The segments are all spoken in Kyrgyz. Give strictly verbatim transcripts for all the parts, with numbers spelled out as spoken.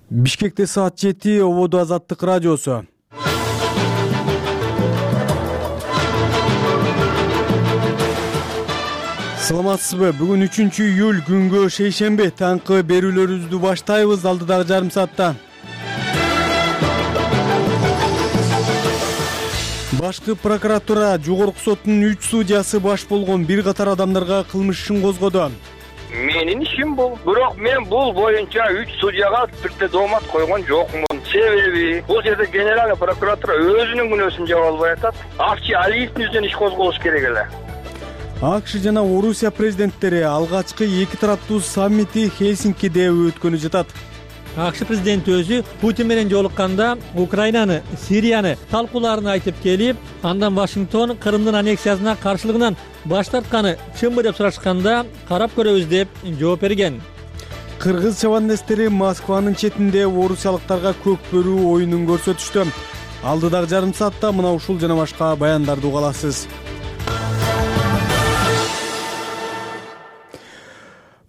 Бишкекте саат жети, Ободо Азаттык радиосу. Саламатсызбы? Бүгүн үчүнчү июль күнгө шейшемби. Таңкы берүүлөрүбүздү баштайбыз алдыдагы жарым саатта. Башкы прокуратура Жогорку соттун үч судьясы баш болгон бир катар адамдарга кылмыш ишин козгоду. Менин ишим бул. Бирок мен бул боюнча үч судьяга бирде доомат койгон жокмун. Себеби бул жерде генеральный прокуратура өзүнүн күнөөсүн жаба албай атат. Акчы Алиевдин жүзүнөн иш козголуш керек эле. АКШ жана Орусия президенттери алгачкы эки тараптуу саммити Хельсинкиде өткөнү жатат. АКШ президенти өзү Путин менен жолукканда Украинаны, Сирияны талкууларын айтып келип, андан Вашингтон Крымдын аннексиясына каршылыгынан баш тартканы чынбы деп сурашканда карап көрөбүз деп жооп берген. Кыргыз чабандестери Москванын четинде орусиялыктарга көк бөрүү оюнун көрсөтүштү. Алдыдагы жарым саатта мына ушул жана башка баяндарды уга аласыз.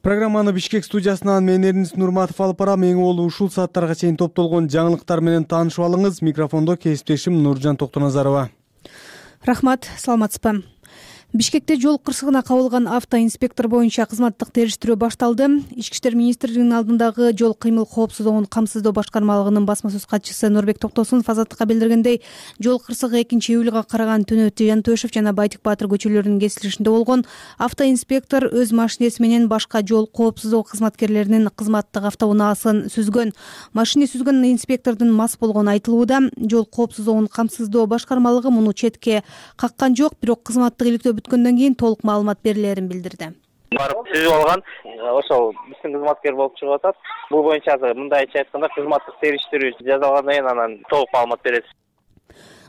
Программаны Бишкек студиясынан мен Эрнис Нурматов алып барам. Эң болуу ушул сааттарга чейин топтолгон жаңылыктар менен таанышып алыңыз. Микрофондо кесиптешим Нуржан Токтоназарова. Рахмат, саламатсызбы? Бишкекте жол кырсыгына кабылган автоинспектор боюнча кызматтык териштирүү башталды. Ички иштер министрлигинин алдындагы жол кыймыл коопсуздугун камсыздоо башкармалыгынын басма сөз катчысы Нурбек Токтосунов Азаттыкка билдиргендей, жол кырсыгы экинчи июлга караган түнү Жантөшев жана Байтик Баатыр көчөлөрүнүн кесилишинде болгон. Автоинспектор өз машинеси менен башка жол коопсуздугу кызматкерлеринин кызматтык автоунаасын сүзгөн. Машина сүзгөн инспектордун мас болгону айтылууда. Жол коопсуздугун камсыздоо башкармалыгы муну четке каккан жок, бирок кызматтык иликтөө бүткөндөн кийин толук маалымат берилерин билдирди. Барып сүзүп алган, ошол биздин кызматкер болуп чыгып атат. Бул боюнча мындайча айтканда кызматтык териштирүү жасалгандан кийин анан толук маалымат беребиз.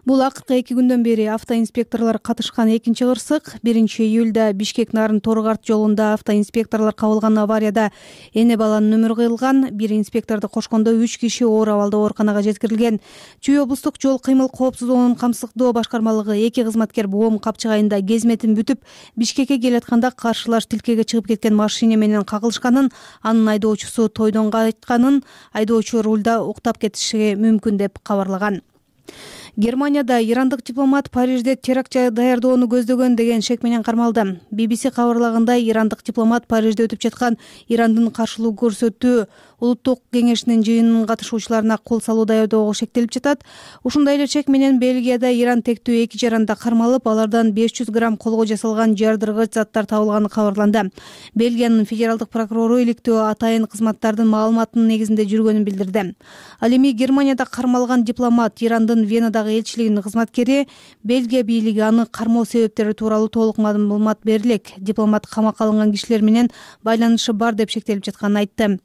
Бул акыркы эки күндөн бери автоинспекторлор катышкан экинчи кырсык. биринчи июлда Бишкек Нарын Торгарт жолунда автоинспекторлор кабылган аварияда эне баланын өмүрү кыйылган. Бир инспекторду кошкондо үч киши оор абалда ооруканага жеткирилген. Чүй облустук жол кыймыл коопсуздугунун камсыздоо башкармалыгы эки кызматкер Боом Капчык айында кезметин бүтүп, Бишкекке келатканда каршылаш тилкеге чыгып кеткен машина менен кагылышканын, анын айдоочусу тойдон кайтканын, айдоочу рулда уктап кетиши мүмкүн деп кабарлаган. Германияда ирандык дипломат Парижде теракт даярдоону көздөгөн деген шек менен кармалды. би би си кабарлагандай, ирандык дипломат Парижде өтүп жаткан Ирандын каршылык көрсөтүү улуттук кеңешинин жыйынынын катышуучуларына кол салуу даярдоого шектелип жатат. Ушундай эле чек менен Бельгияда Иран тектүү эки жаранда кармалып, алардан беш жүз грамм колго жасалган жардыргыч заттар табылганы кабарланды. Бельгиянын федералдык прокурору иликтөө атайын кызматтардын маалыматынын негизинде жүргөнүн билдирди. Ал эми Германияда кармалган дипломат Ирандын Венадагы элчилигинин кызматкери, Бельгия бийлиги аны кармоо себептери тууралуу толук маалымат берилек. Дипломат камакка алынган кишилер менен байланышы бар деп шектелип жатканын айтты.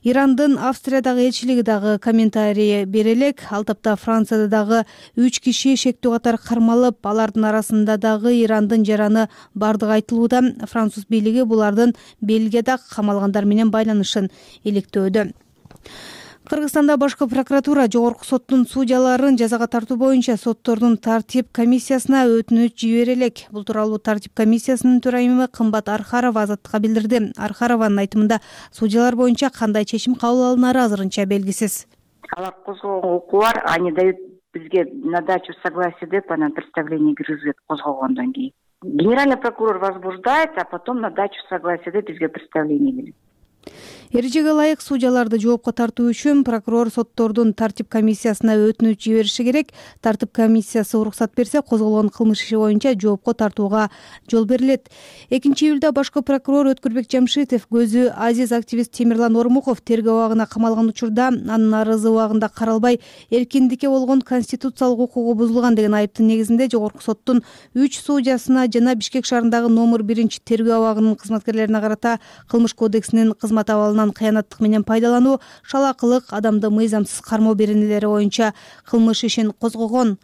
Ирандын Австриядагы элчилиги дагы комментарий бере элек. Ал тапта Францияда дагы үч киши шектүү катары кармалып, алардын арасында дагы Ирандын жараны бардыгы айтылууда. Француз бийлиги булардын Бельгияда камалгандар менен байланышын иликтөөдө. Кыргызстанда башкы прокуратура Жогорку соттун судьяларын жазага тартуу боюнча соттордун тартип комиссиясына өтүнүч жибере элек. Бул тууралуу тартип комиссиясынын төрайымы Кымбат Архарова Азаттыкка билдирди. Архарованын айтымында, судьялар боюнча кандай чечим кабыл алынары азырынча белгисиз. Алар козгогон укугу бар, они дают бизге на дачу согласия деп анан представление киргизет козгогондон кийин. Генеральный прокурор возбуждает, а потом на дачу согласия деп бизге представление келет. Эрежеге ылайык судьяларды жоопко тартуу үчүн прокурор соттордун тартип комиссиясына өтүнүч жибериши керек. Тартип комиссиясы уруксат берсе, козголгон кылмыш иши боюнча жоопко тартууга жол берилет. экинчи июлда башкы прокурор Өткүрбек Жамшитов көзү азиз активист Темирлан Ормуков тергөө абагына камалган учурда анын арызы убагында каралбай, эркиндикке болгон конституциялык укугу бузулган деген айыптын негизинде Жогорку соттун үч судьясына жана Бишкек шаарындагы номер биринчи тергөө абагынын кызматкерлерине карата Кылмыш кодексинин кызмат абалынан кыянаттык менен пайдалануу, шалакылык, адамды мыйзамсыз кармоо беренелери боюнча кылмыш ишин козгогон.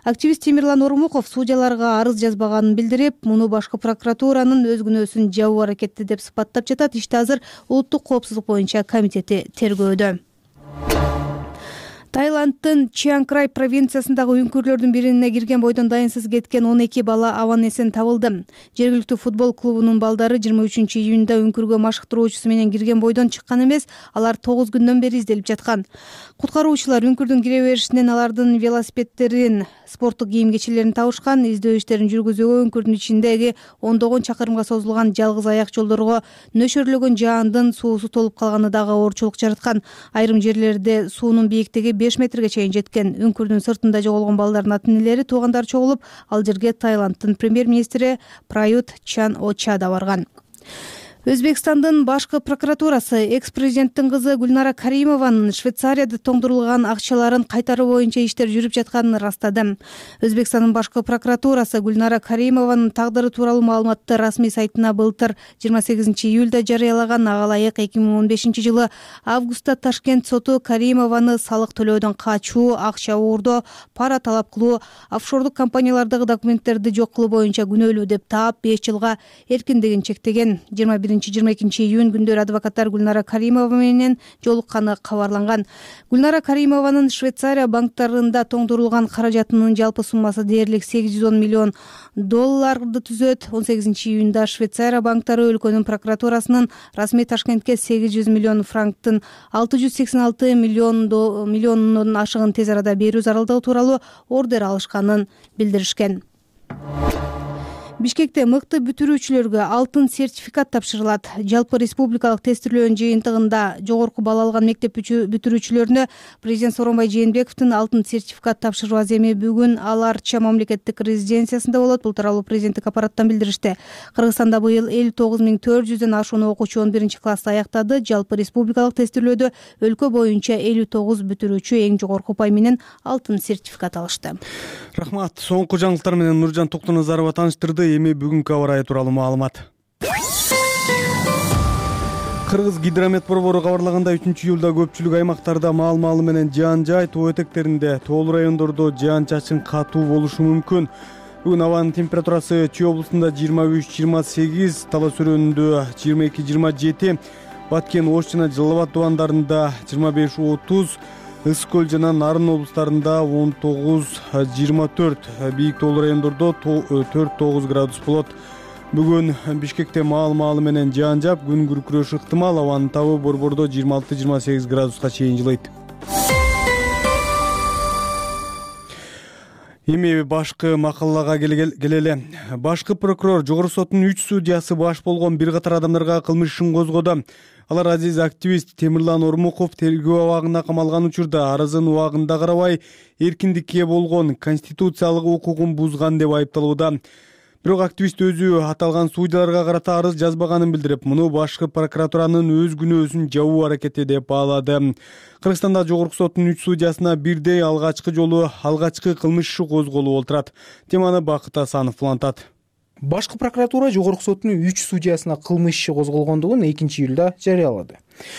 Активист Темирлан Ормуков судьяларга арыз жазбаганын билдирип, муну башкы прокуратуранын өз күнөөсүн жабуу аракети деп сыпаттап жатат. Ишти азыр улуттук коопсуздук боюнча комитети тергөөдө. Таиланддын Чиан Край провинциясындагы үңкүрлөрдүн бирине кирген бойдон дайынсыз кеткен он эки бала абан эсен табылды. Жергиликтүү футбол клубунун балдары жыйырма үчүнчү июнда үңкүргө машыктыруучусу менен кирген бойдон чыккан эмес, алар тогуз күндөн бери изделип жаткан. Куткаруучулар үңкүрдүн кире беришинен алардын велосипедтерин, спорттук кийим-кечейлерин табышкан. Издөө иштерин жүргүзүүгө үңкүрдүн ичиндеги ондогон чакырымга созулган жалгыз аяк жолдорго нөшөрлөгөн жаандын суусу толуп калганы дагы оорчулук жараткан. Айрым жерлерде суунун бийиктиги беш метрге чейин жеткен. Үңкүрдүн сыртында жоголгон балдардын ата-энелери, туугандары чогулуп, ал жерге Таиланддын премьер-министри Прают Чан-Оча да барган. Өзбекстандын башкы прокуратурасы экс-президенттин кызы Гүлнара Каримованын Швейцарияда тоңдурулган акчаларын кайтаруу боюнча иштер жүрүп жатканын ырастады. Өзбекстандын башкы прокуратурасы Гүлнара Каримованын тагдыры тууралуу маалыматты расмий сайтына былтыр жыйырма сегизинчи июлда жарыялаган. Ага ылайык эки миң он бешинчи жылы августта Ташкент соту Каримованы салык төлөөдөн качуу, акча уурдоо, пара талап кылуу, офшордук компаниялардагы документтерди жок кылуу боюнча күнөөлүү деп таап, беш жылга эркиндигин чектеген. жыйырма биринчи жыйырма экинчи июнь күндөрү адвокаттар Гүлнара Каримова менен жолукканы кабарланган. Гүлнара Каримованын Швейцария банктарында тоңдурулган каражатынын жалпы суммасы дээрлик сегиз жүз он миллион долларды түзөт. он сегизинчи июнда Швейцария банктары өлкөнүн прокуратурасынын расмий Ташкентке сегиз жүз миллион франктын алты жүз сексен алты миллионунун ашыгын тез арада берүү зарылдыгы тууралуу ордер алышканын билдиришкен. Бишкекте мыкты бүтүрүүчүлөргө алтын сертификат тапшырылат. Жалпы республикалык тестирлөөнүн жыйынтыгында жогорку балл алган мектеп бүтүрүүчүлөрүнө президент Сооронбай Жээнбековдун алтын сертификат тапшыруу аземи бүгүн ал Арча мамлекеттик резиденциясында болот. Бул тууралуу президенттик аппараттан билдиришти. Кыргызстанда быйыл элүү тогуз миң төрт жүздөн ашуун окуучу он биринчи классты аяктады. Жалпы республикалык тестирлөөдө өлкө боюнча элүү тогуз бүтүрүүчү эң жогорку упай менен алтын сертификат алышты. Рахмат. Соңку жаңылыктар менен Нуржан Токтоназарова тааныштырды. Эми бүгүнкү аба ырайы тууралуу маалымат. Кыргыз гидромет борбору кабарлагандай, үчүнчү июлда көпчүлүк аймактарда маал-маалы менен жаан жай, тоо этектеринде, тоолуу райондордо жаан-чачын катуу болушу мүмкүн. Бүгүн абанын температурасы Чүй облусунда жыйырма үч жыйырма сегиз, Талас Өрөөнүндө жыйырма эки жыйырма жети, Баткен, Ош жана Жалал абад тубандарында жыйырма беш отуз, Ысык көл жана Нарын облустарында он тогуз жыйырма төрт, бийик тоолуу райондордо төрт тогуз градус болот. Бүгүн Бишкекте маал-маалы менен жаан жаап, күн күркүрөшү ыктымал. Абанын табы борбордо жыйырма алты жыйырма сегиз градуска чейин жылыйт. Эми башкы макалага келели. Башкы прокурор Жогорку соттун үч судьясы баш болгон бир катар адамдарга кылмыш ишин козгоду. Алар азиз активист Темирлан Ормуков тергөө абагына камалган учурда арызын убагында карабай, эркиндикке болгон конституциялык укугун бузган деп айыпталууда. Бирок активист өзү аталган судьяларга карата арыз жазбаганын билдирип, муну башкы прокуратуранын өз күнөөсүн жабуу аракети деп баалады. Кыргызстанда Жогорку соттун үч судьясына бирдей алгачкы жолу алгачкы кылмыш иши козголуп отурат. Теманы Бакыт Асанов улантат. Башкы прокуратура Жогорку соттун үч судьясына кылмыш иши козголгондугун экинчи июлда жарыялады.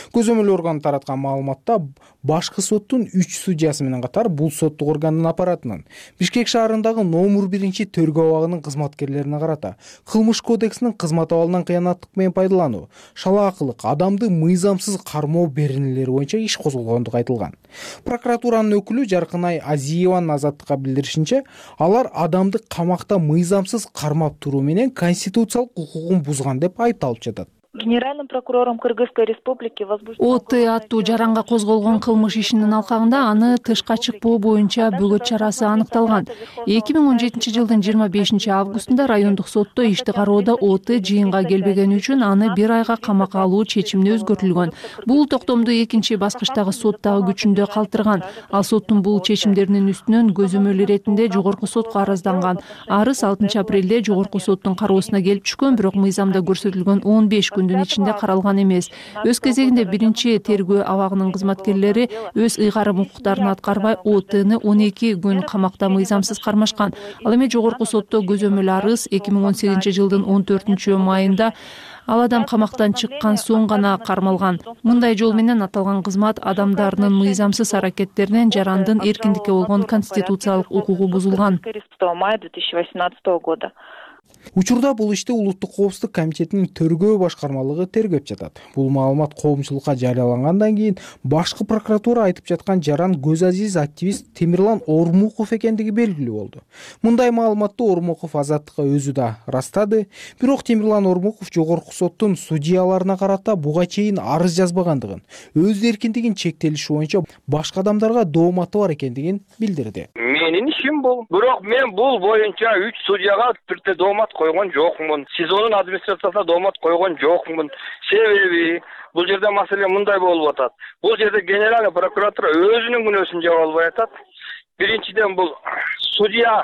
Көзөмөл органы тараткан маалыматта башкы соттун үч судьясы менен катар бул соттук органдын аппаратынын Бишкек шаарындагы номер биринчи төргөө абагынын кызматкерлерине карата кылмыш кодексинин кызмат абалынан кыянаттык менен пайдалануу, шалаакылык, адамды мыйзамсыз кармоо беренелери боюнча иш козголгондугу айтылган. Прокуратуранын өкүлү Жаркынай Азиеванын Азаттыкка билдиришинче, алар адамды камакта мыйзамсыз кармап туруу менен конституциялык укугун бузган деп айыпталып жатат. Генеральным прокурором Кыргызской республики возбужден ОТ аттуу жаранга козголгон кылмыш ишинин алкагында аны тышка чыкпоо боюнча бөгөт чарасы аныкталган. эки миң он жетинчи жылдын жыйырма бешинчи августунда райондук сотто ишти кароодо ОТ жыйынга келбегени үчүн аны бир айга камакка алуу чечимине өзгөртүлгөн. Бул токтомду экинчи баскычтагы сот дагы күчүндө калтырган. Ал соттун бул чечимдеринин үстүнөн көзөмөл иретинде Жогорку сотко арызданган. Арыз алтынчы апрелде Жогорку соттун кароосуна келип түшкөн, бирок мыйзамда көрсөтүлгөн он беш күн ичинде каралган эмес. Өз кезегинде биринчи тергөө абагынын кызматкерлери өз ыйгарым укуктарын аткарбай ОТны он эки күн камакта мыйзамсыз кармашкан. Ал эми Жогорку сотто көзөмөл арыз эки миң он сегизинчи жылдын он төртүнчү майында ал адам камактан чыккан соң гана кармалган. Мындай жол менен аталган кызмат адамдарынын мыйзамсыз аракеттеринен жарандын эркиндикке болгон конституциялык укугу бузулган. мая две тысячи восемнадцатого года. Учурда бул ишти Улуттук коопсуздук комитетинин төргөө башкармалыгы тергөп жатат. Бул маалымат коомчулукка жарыялангандан кийин башкы прокуратура айтып жаткан жаран көз азиз активист Темирлан Ормуков экендиги белгилүү болду. Мындай маалыматты Ормуков Азаттыкка өзү да ырастады. Бирок Темирлан Ормуков жогорку соттун судьяларына карата буга чейин арыз жазбагандыгын, өз эркиндигин чектелиши боюнча башка адамдарга дооматы бар экендигин билдирди. Менин ишим бул. Бирок мен бул боюнча үч судьяга бирде доомат койгон жокмун. СИЗОнун администрациясына доомат койгон жокмун. Себеби бул жерде маселе мындай болуп атат. Бул жерде генеральный прокуратура өзүнүн күнөөсүн жаба албай атат. Биринчиден бул судья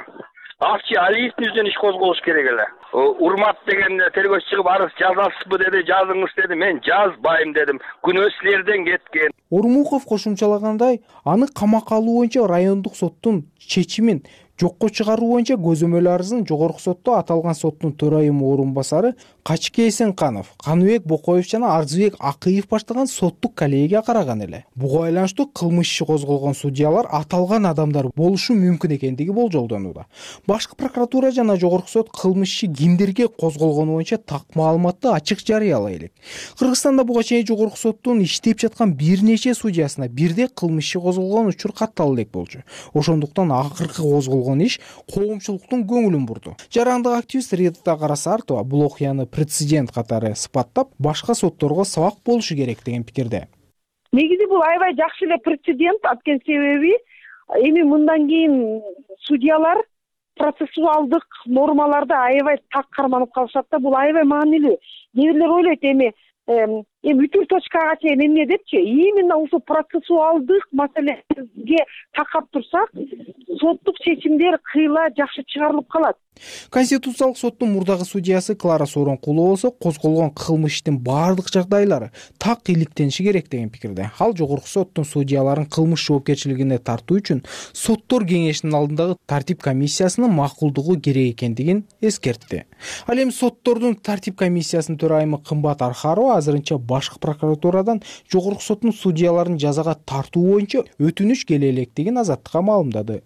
Акчи Алиевдин жүзүнөн иш козголуш керек эле. Урмат деген тергөөчү чыгып арыз жазасызбы деди, жазыңыз деди. Мен жазбайм дедим. Күнөө силерден кеткен. Ормуков кошумчалагандай, аны камакка алуу боюнча райондук соттун чечимин жокко чыгаруу боюнча көзөмөл арызын жогорку сотто аталган соттун төрайымы орун басары Качке Эсенканов, Каныбек Бокоев жана Арзыбек Акыев баштаган соттук коллегия караган эле. Буга байланыштуу кылмыш иши козголгон судьялар аталган адамдар болушу мүмкүн экендиги болжолдонууда. Башкы прокуратура жана жогорку сот кылмыш иши кимдерге козголгону боюнча так маалыматты ачык жарыялай элек. Кыргызстанда буга чейин жогорку соттун иштеп жаткан бир нече судьясына бирдей кылмыш иши козголгон учур каттала элек болчу. Ошондуктан акыркы козголгон иш коомчулуктун көңүлүн бурду. Жарандык активист Рита Карасартова бул окуяны прецедент катары сыпаттап, башка сотторго сабак болушу керек деген пикирде. Негизи бул аябай жакшы эле прецедент, анткени себеби эми мындан кийин судьялар процессуалдык нормаларды аябай так карманып калышат да, бул аябай маанилүү. Кээ бирлер ойлойт эми эми үтүр точкага чейин эмне депчи, именно ушул процессуалдык маселеге такап турсак, соттук чечимдер кыйла жакшы чыгарылып калат. Конституциялык соттун мурдагы судьясы Клара Сооронкулова болсо козголгон кылмыш иштин баардык жагдайлары так иликтениши керек деген пикирде. Ал жогорку соттун судьяларын кылмыш жоопкерчилигине тартуу үчүн соттор кеңешинин алдындагы тартип комиссиясынын макулдугу керек экендигин эскертти. Ал эми соттордун тартип комиссиясынын төрайымы Кымбат Архарова азырынча башкы прокуратурадан жогорку соттун судьяларын жазага тартуу боюнча өтүнүч келе электигин Азаттыкка маалымдады.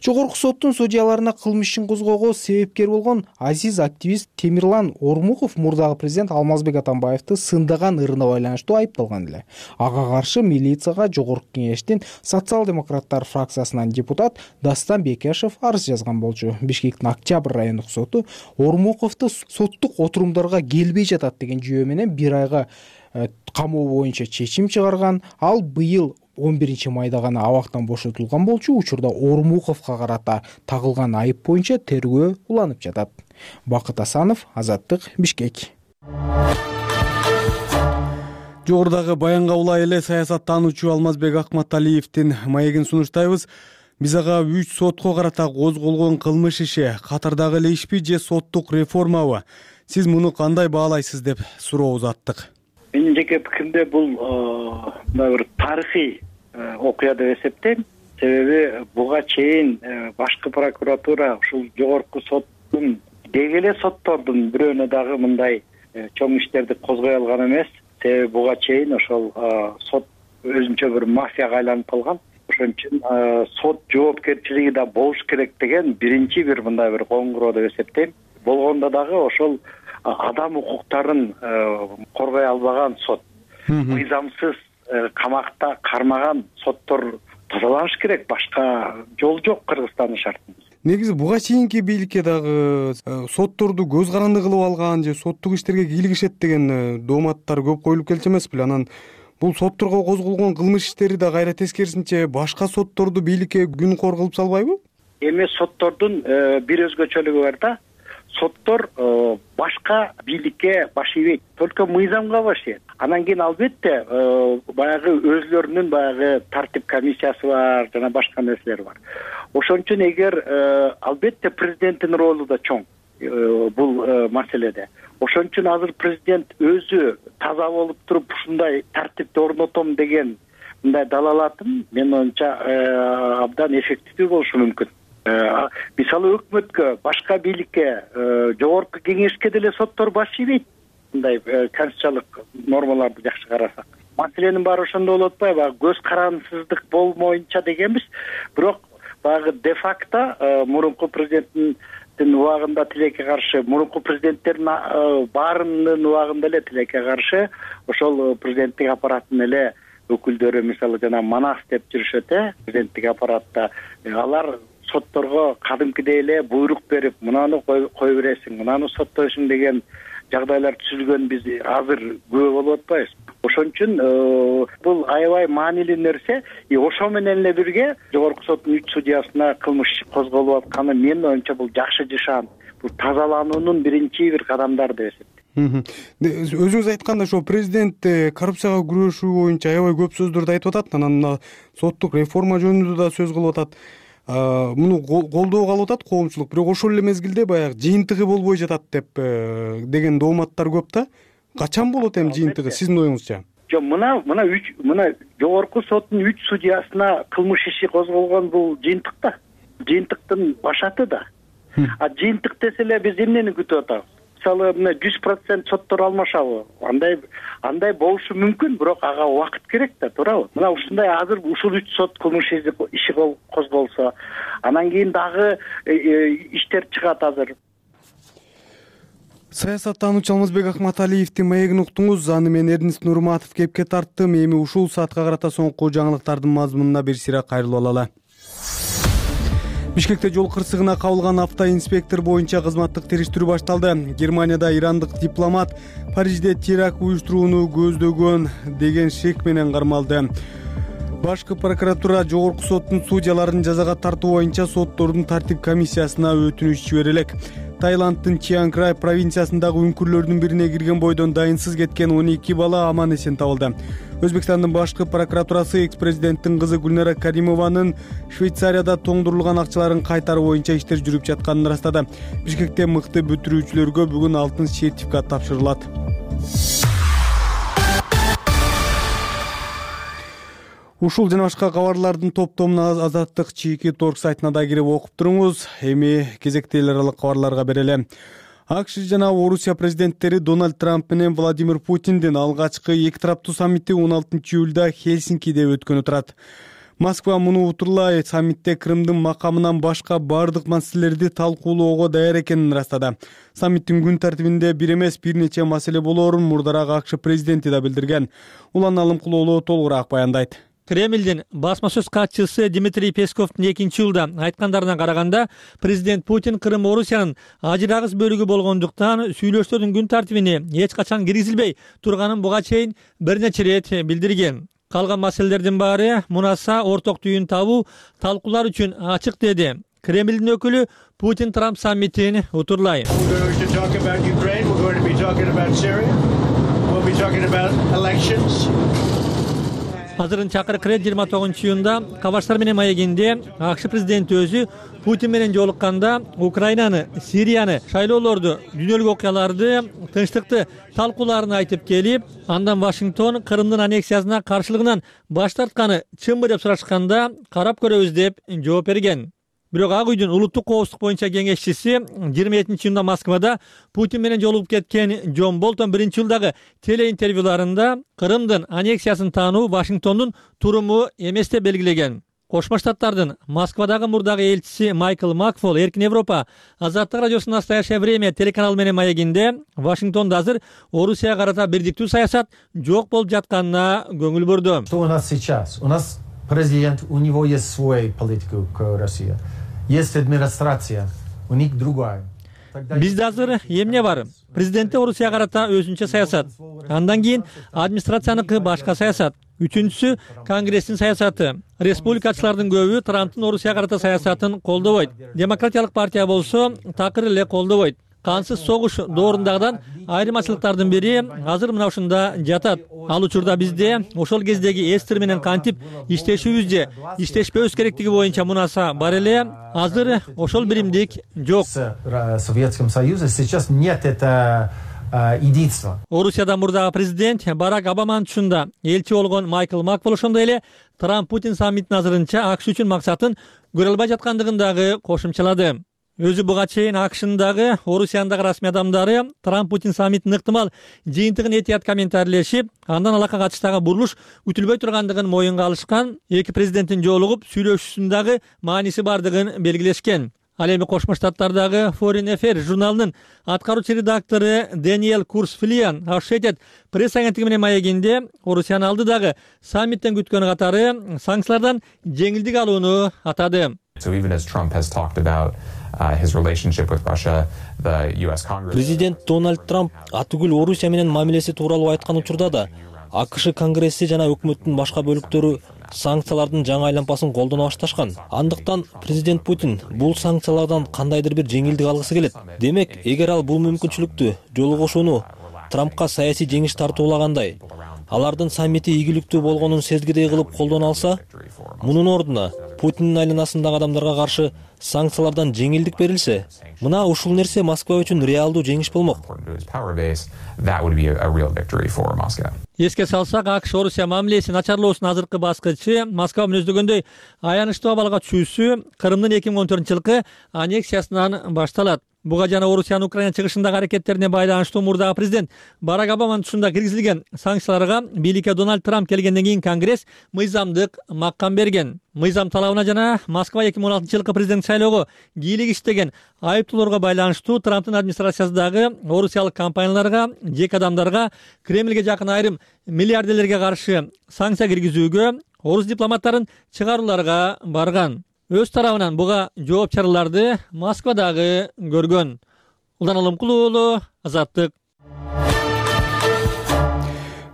Жогорку соттун судьяларына кылмыш ишин козгоого себепкер болгон азиз активист Темирлан Ормуков мурдагы президент Алмазбек Атамбаевди сындаган ырына байланыштуу айыпталган эле. Ага каршы милицияга жогорку кеңештин социал-демократтар фракциясынан депутат Дастан Бекешев арыз жазган болчу. Бишкектин Октябрь райондук соту Ормуковду соттук отурумдарга келбей жатат деген жүйө менен бир айга камоо боюнча чечим чыгарган. Ал быйыл он биринчи майда гана абактан бошотулган болчу. Учурда Ормуковго карата тагылган айып боюнча тергөө уланып жатат. Бакыт Асанов, Азаттык, Бишкек. Жогорудагы баянга улай эле саясаттануучу Алмазбек Акматалиевдин маегин сунуштайбыз. Биз ага үч сотко карата козголгон кылмыш иши катардагы эле ишпи же соттук реформабы? Сиз муну кандай баалайсыз деп суроо узаттык. Менин жеке пикиримде бул мындай бир тарыхый окуя деп эсептейм. Себеби буга чейин башкы прокуратура ушул жогорку соттун деги эле соттордун бирөөнө дагы мындай чоң иштерди козгой алган эмес. Себеби буга чейин ошол сот өзүнчө бир мафияга айланып калган. Ошон үчүн сот жоопкерчилиги да болуш керек деген биринчи бир мындай бир коңгуроо деп эсептейм. Болгондо дагы ошол адам укуктарын коргой албаган сот, мыйзамсыз камакта кармаган соттор тазаланыш керек. Башка жол жок Кыргызстандын шартында. Негизи буга чейинки бийликке дагы сотторду көз каранды кылып алган же соттук иштерге кийлигишет деген дооматтар көп коюлуп келчү эмеспи? Анан бул сотторго козголгон кылмыш иштери да кайра тескерисинче башка сотторду бийликке күнкор кылып салбайбы? Эми соттордун бир өзгөчөлүгү бар да. Соттор башка бийликке баш ийбейт, только мыйзамга баш ийет. Анан кийин албетте баягы өзлөрүнүн баягы тартип комиссиясы бар, жана башка нерселер бар. Ошон үчүн эгер албетте президенттин ролу да чоң бул маселеде. Ошон үчүн азыр президент өзү таза болуп туруп ушундай тартипти орнотом деген мындай далалатын мен оюмча абдан эффективдүү болушу мүмкүн. Мисалы өкмөткө, башка бийликке, жогорку кеңешке деле соттор баш ийбейт. Мындай конституциялык нормаларды жакшы карасак. Маселенин баары ошондо болуп атпайбы? Баягы көз карандысыздык болмоюнча дегенбиз. Бирок баягы де факто мурунку президенттин президенттин убагында тилекке каршы, мурунку президенттердин баарынын убагында эле тилекке каршы ошол президенттик аппараттын эле өкүлдөрү, мисалы жана манас деп жүрүшөт э президенттик аппаратта. Алар сотторго кадимкидей эле буйрук берип, мынаны кой бересиң, мынаны соттойсуң деген жагдайлар түзүлгөн биз азыр күбө болуп атпайбыз. Ошон үчүн бул аябай маанилүү нерсе. Ошо менен эле бирге жогорку соттун үч судьясына кылмыш козголуп атканы менин оюмча бул жакшы жашаан, бул тазалануунун биринчи бир кадамдары деп эсептейм. Өзүңүз айткандай ошо президент коррупцияга күрөшүү боюнча аябай көп сөздөрдү айтып атат, анан мына соттук реформа жөнүндө да сөз кылып атат. Муну колдоого алып атат коомчулук, бирок ошол эле мезгилде баягы жыйынтыгы болбой жатат деп деген дооматтар көп да. Качан болот эми жыйынтыгы сиздин оюңузча? Жок, мына мына үч мына жогорку соттун үч судьясына кылмыш иши козголгон бул жыйынтык да. Жыйынтыктын башаты да. А жыйынтык десе эле биз эмнени күтүп атабыз? Мисалы мына жүз процент соттор алмашабы? Андай андай болушу мүмкүн, бирок ага убакыт керек да, туурабы? Мына ушундай азыр ушул үч сот кылмыш иши козголсо, анан кийин дагы иштер чыгат азыр. Саясаттануучу Алмазбек Акматалиевдин маегин уктуңуз. Аны мен Эрнест Нурматов кепке тарттым. Эми ушул саатка карата соңку жаңылыктардын мазмунуна бир сыйра кайрылып алалы. Бишкекте жол кырсыгына кабылган автоинспектор боюнча кызматтык териштирүү башталды. Германияда ирандык дипломат Парижде теракт уюштурууну көздөгөн деген шек менен кармалды. Башкы прокуратура жогорку соттун судьяларын жазага тартуу боюнча соттордун тартип комиссиясына өтүнүч жибере элек. Таиланддын Чиан Край провинциясындагы үңкүрлөрдүн бирине кирген бойдон дайынсыз кеткен он эки бала аман эсен табылды. Өзбекстандын башкы прокуратурасы экс-президенттин кызы Гүлнара Каримованын Швейцарияда тоңдурулган акчаларын кайтаруу боюнча иштер жүрүп жатканын ырастады. Бишкекте мыкты бүтүрүүчүлөргө бүгүн алтын сертификат тапшырылат. Ушул жана башка кабарлардын топтомуна Азаттык чийки торг сайтына да кирип окуп туруңуз. Эми кезекти эл аралык кабарларга берели. АКШ жана Орусия президенттери Дональд Трамп менен Владимир Путиндин алгачкы эки тараптуу саммити он алтынчы июлда Хельсинкиде өткөнү турат. Москва муну утурлай саммитте Крымдын макамынан башка бардык маселелерди талкуулоого даяр экенин ырастады. Саммиттин күн тартибинде бир эмес бир нече маселе болоорун мурдараак АКШ президенти да билдирген. Улан Алымкулоолу толугураак баяндайт. Кремлдин басма сөз катчысы Дмитрий Песковдун экинчи июлда айткандарына караганда, президент Путин Крым Орусиянын ажырагыс бөлүгү болгондуктан сүйлөшүүлөрдүн күн тартибине эч качан киргизилбей турганын буга чейин бир нече ирет билдирген. Калган маселелердин баары мунаса орток түйүн табуу, талкуулар үчүн ачык деди. Кремлдин өкүлү Путин Трамп саммитин утурлай. Азырын чакырык рет жыйырма тогузунчу июнда Кабаштар менен маегинде АКШ президенти өзү Путин менен жолукканда Украинаны, Сирияны, шайлоолорду, дүйнөлүк окуяларды, тынчтыкты талкууларын айтып келип, андан Вашингтон Крымдын аннексиясына каршылыгынан баш тартканы чынбы деп сурашканда карап көрөбүз деп жооп берген. Бирок Ак үйдүн улуттук коопсуздук боюнча кеңешчиси жыйырма экинчи июнда Москвада Путин менен жолугуп кеткен Джон Болтон биринчи жылдагы телеинтервьюларында Крымдын аннексиясын таануу Вашингтондун туруму эмес деп белгилеген. Кошмо Штаттардын Москвадагы мурдагы элчиси Майкл Макфол Эркин Европа Азаттык радиосунун Настоящее время телеканалы менен маегинде Вашингтондо азыр Орусияга карата бирдиктүү саясат жок болуп жатканына көңүл бурду. Что у нас сейчас? У нас президент, у него есть свой политика к России. Есть администрация, у них другая. Бизде азыр эмне бар? Президентте Орусияга карата өзүнчө саясат. Андан кийин администрацияныкы башка саясат. Үчүнчүсү Конгресстин саясаты. Республикачылардын көбү Трамптын Орусияга карата саясатын колдобойт. Демократиялык партия болсо такыр эле колдобойт. Кансыз согуш доорундагыдан айырмачылыктардын бири азыр мына ушунда жатат. Ал учурда бизде ошол кездеги эстер менен кантип иштешүүбүз же иштешпөөбүз керектиги боюнча мунаса бар эле. Азыр ошол биримдик жок. В Советском Союзе сейчас нет это единства. Орусияда мурдагы президент Барак Обаманын тушунда элчи болгон Майкл Макфол ошондой эле Трамп Путин саммитин азырынча АКШ үчүн максатын көрө албай жаткандыгын дагы кошумчалады. Өзү буга чейин АКШнын дагы Орусиянын дагы расмий адамдары Трамп Путин саммитинин ыктымал жыйынтыгын этият комментарийлешип, андан алакка катыштагы бурулуш күтүлбөй тургандыгын моюнга алышкан, эки президенттин жолугуп сүйлөшүүсүнүн дагы мааниси бардыгын белгилешкен. Ал эми Кошмо Штаттардагы Foreign Affairs журналынын аткаруучу редактору Дэниэл Курсфилиан Associated пресс агенттиги менен маегинде Орусиянын алдыдагы саммиттен күткөн катары санкциялардан жеңилдик алууну атады. Президент Дональд Трамп атүгүл Орусия менен мамилеси тууралуу айткан учурда да АКШ Конгресси жана өкмөттүн башка бөлүктөрү санкциялардын жаңы айлампасын колдоно башташкан. Андыктан президент Путин бул санкциялардан кандайдыр бир жеңилдик алгысы келет. Демек, эгер ал бул мүмкүнчүлүктү жолу кошууну Трампка саясий жеңиш тартуулагандай, алардын саммити ийгиликтүү болгонун сезгидей кылып колдоно алса, мунун ордуна Путиндин айланасындагы адамдарга каршы санкциялардан жеңилдик берилсе, мына ушул нерсе Москва үчүн реалдуу жеңиш болмок. Эске салсак, АКШ Орусия мамилеси начарлоосунун азыркы баскычы Москва мүнөздөгөндөй аянычтуу абалга түшүүсү Крымдын эки миң он төртүнчү жылкы аннексиясынан башталат. Буга жана Орусиянын Украина чыгышындагы аракеттерине байланыштуу мурдагы президент Барак Обаманын тушунда киргизилген санкцияларга бийликке Дональд Трамп келгенден кийин Конгресс мыйзамдык маккам берген. Мыйзам талабына жана Москва эки миң он алтынчы жылкы президент шайлоого кийлик иштеген айыптоолорго байланыштуу Трамптын администрациясындагы орусиялык компанияларга, жеке адамдарга, Кремльге жакын айрым миллиардерлерге каршы санкция киргизүүгө, орус дипломаттарын чыгарууларга барган. Өз тарабынан буга жооп чараларды Москвадагы көргөн. Улан Алымкулуу уулу, Азаттык.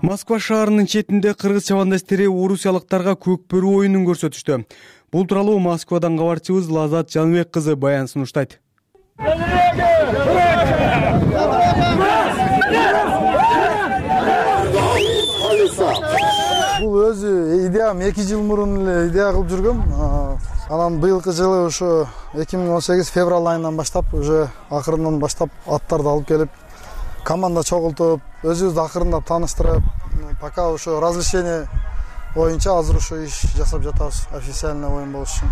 Москва шаарынын четинде кыргыз чабандастары орусиялыктарга көкбөрү оюнун көрсөтүштү. Бул тууралуу Москвадан кабарчыбыз Лазат Жаныбек кызы баян сунуштайт. Бул өзү идеям эки жыл мурун эле идея кылып жүргөм. Анан быйылкы жылы ошо эки миң он сегиз февраль айынан баштап уже акырындан баштап аттарды алып келип, команда чогултуп, өзүбүздү акырындап тааныштырып, пока ошо разрешение боюнча азыр ошо иш жасап жатабыз, официальный оюн болуш үчүн.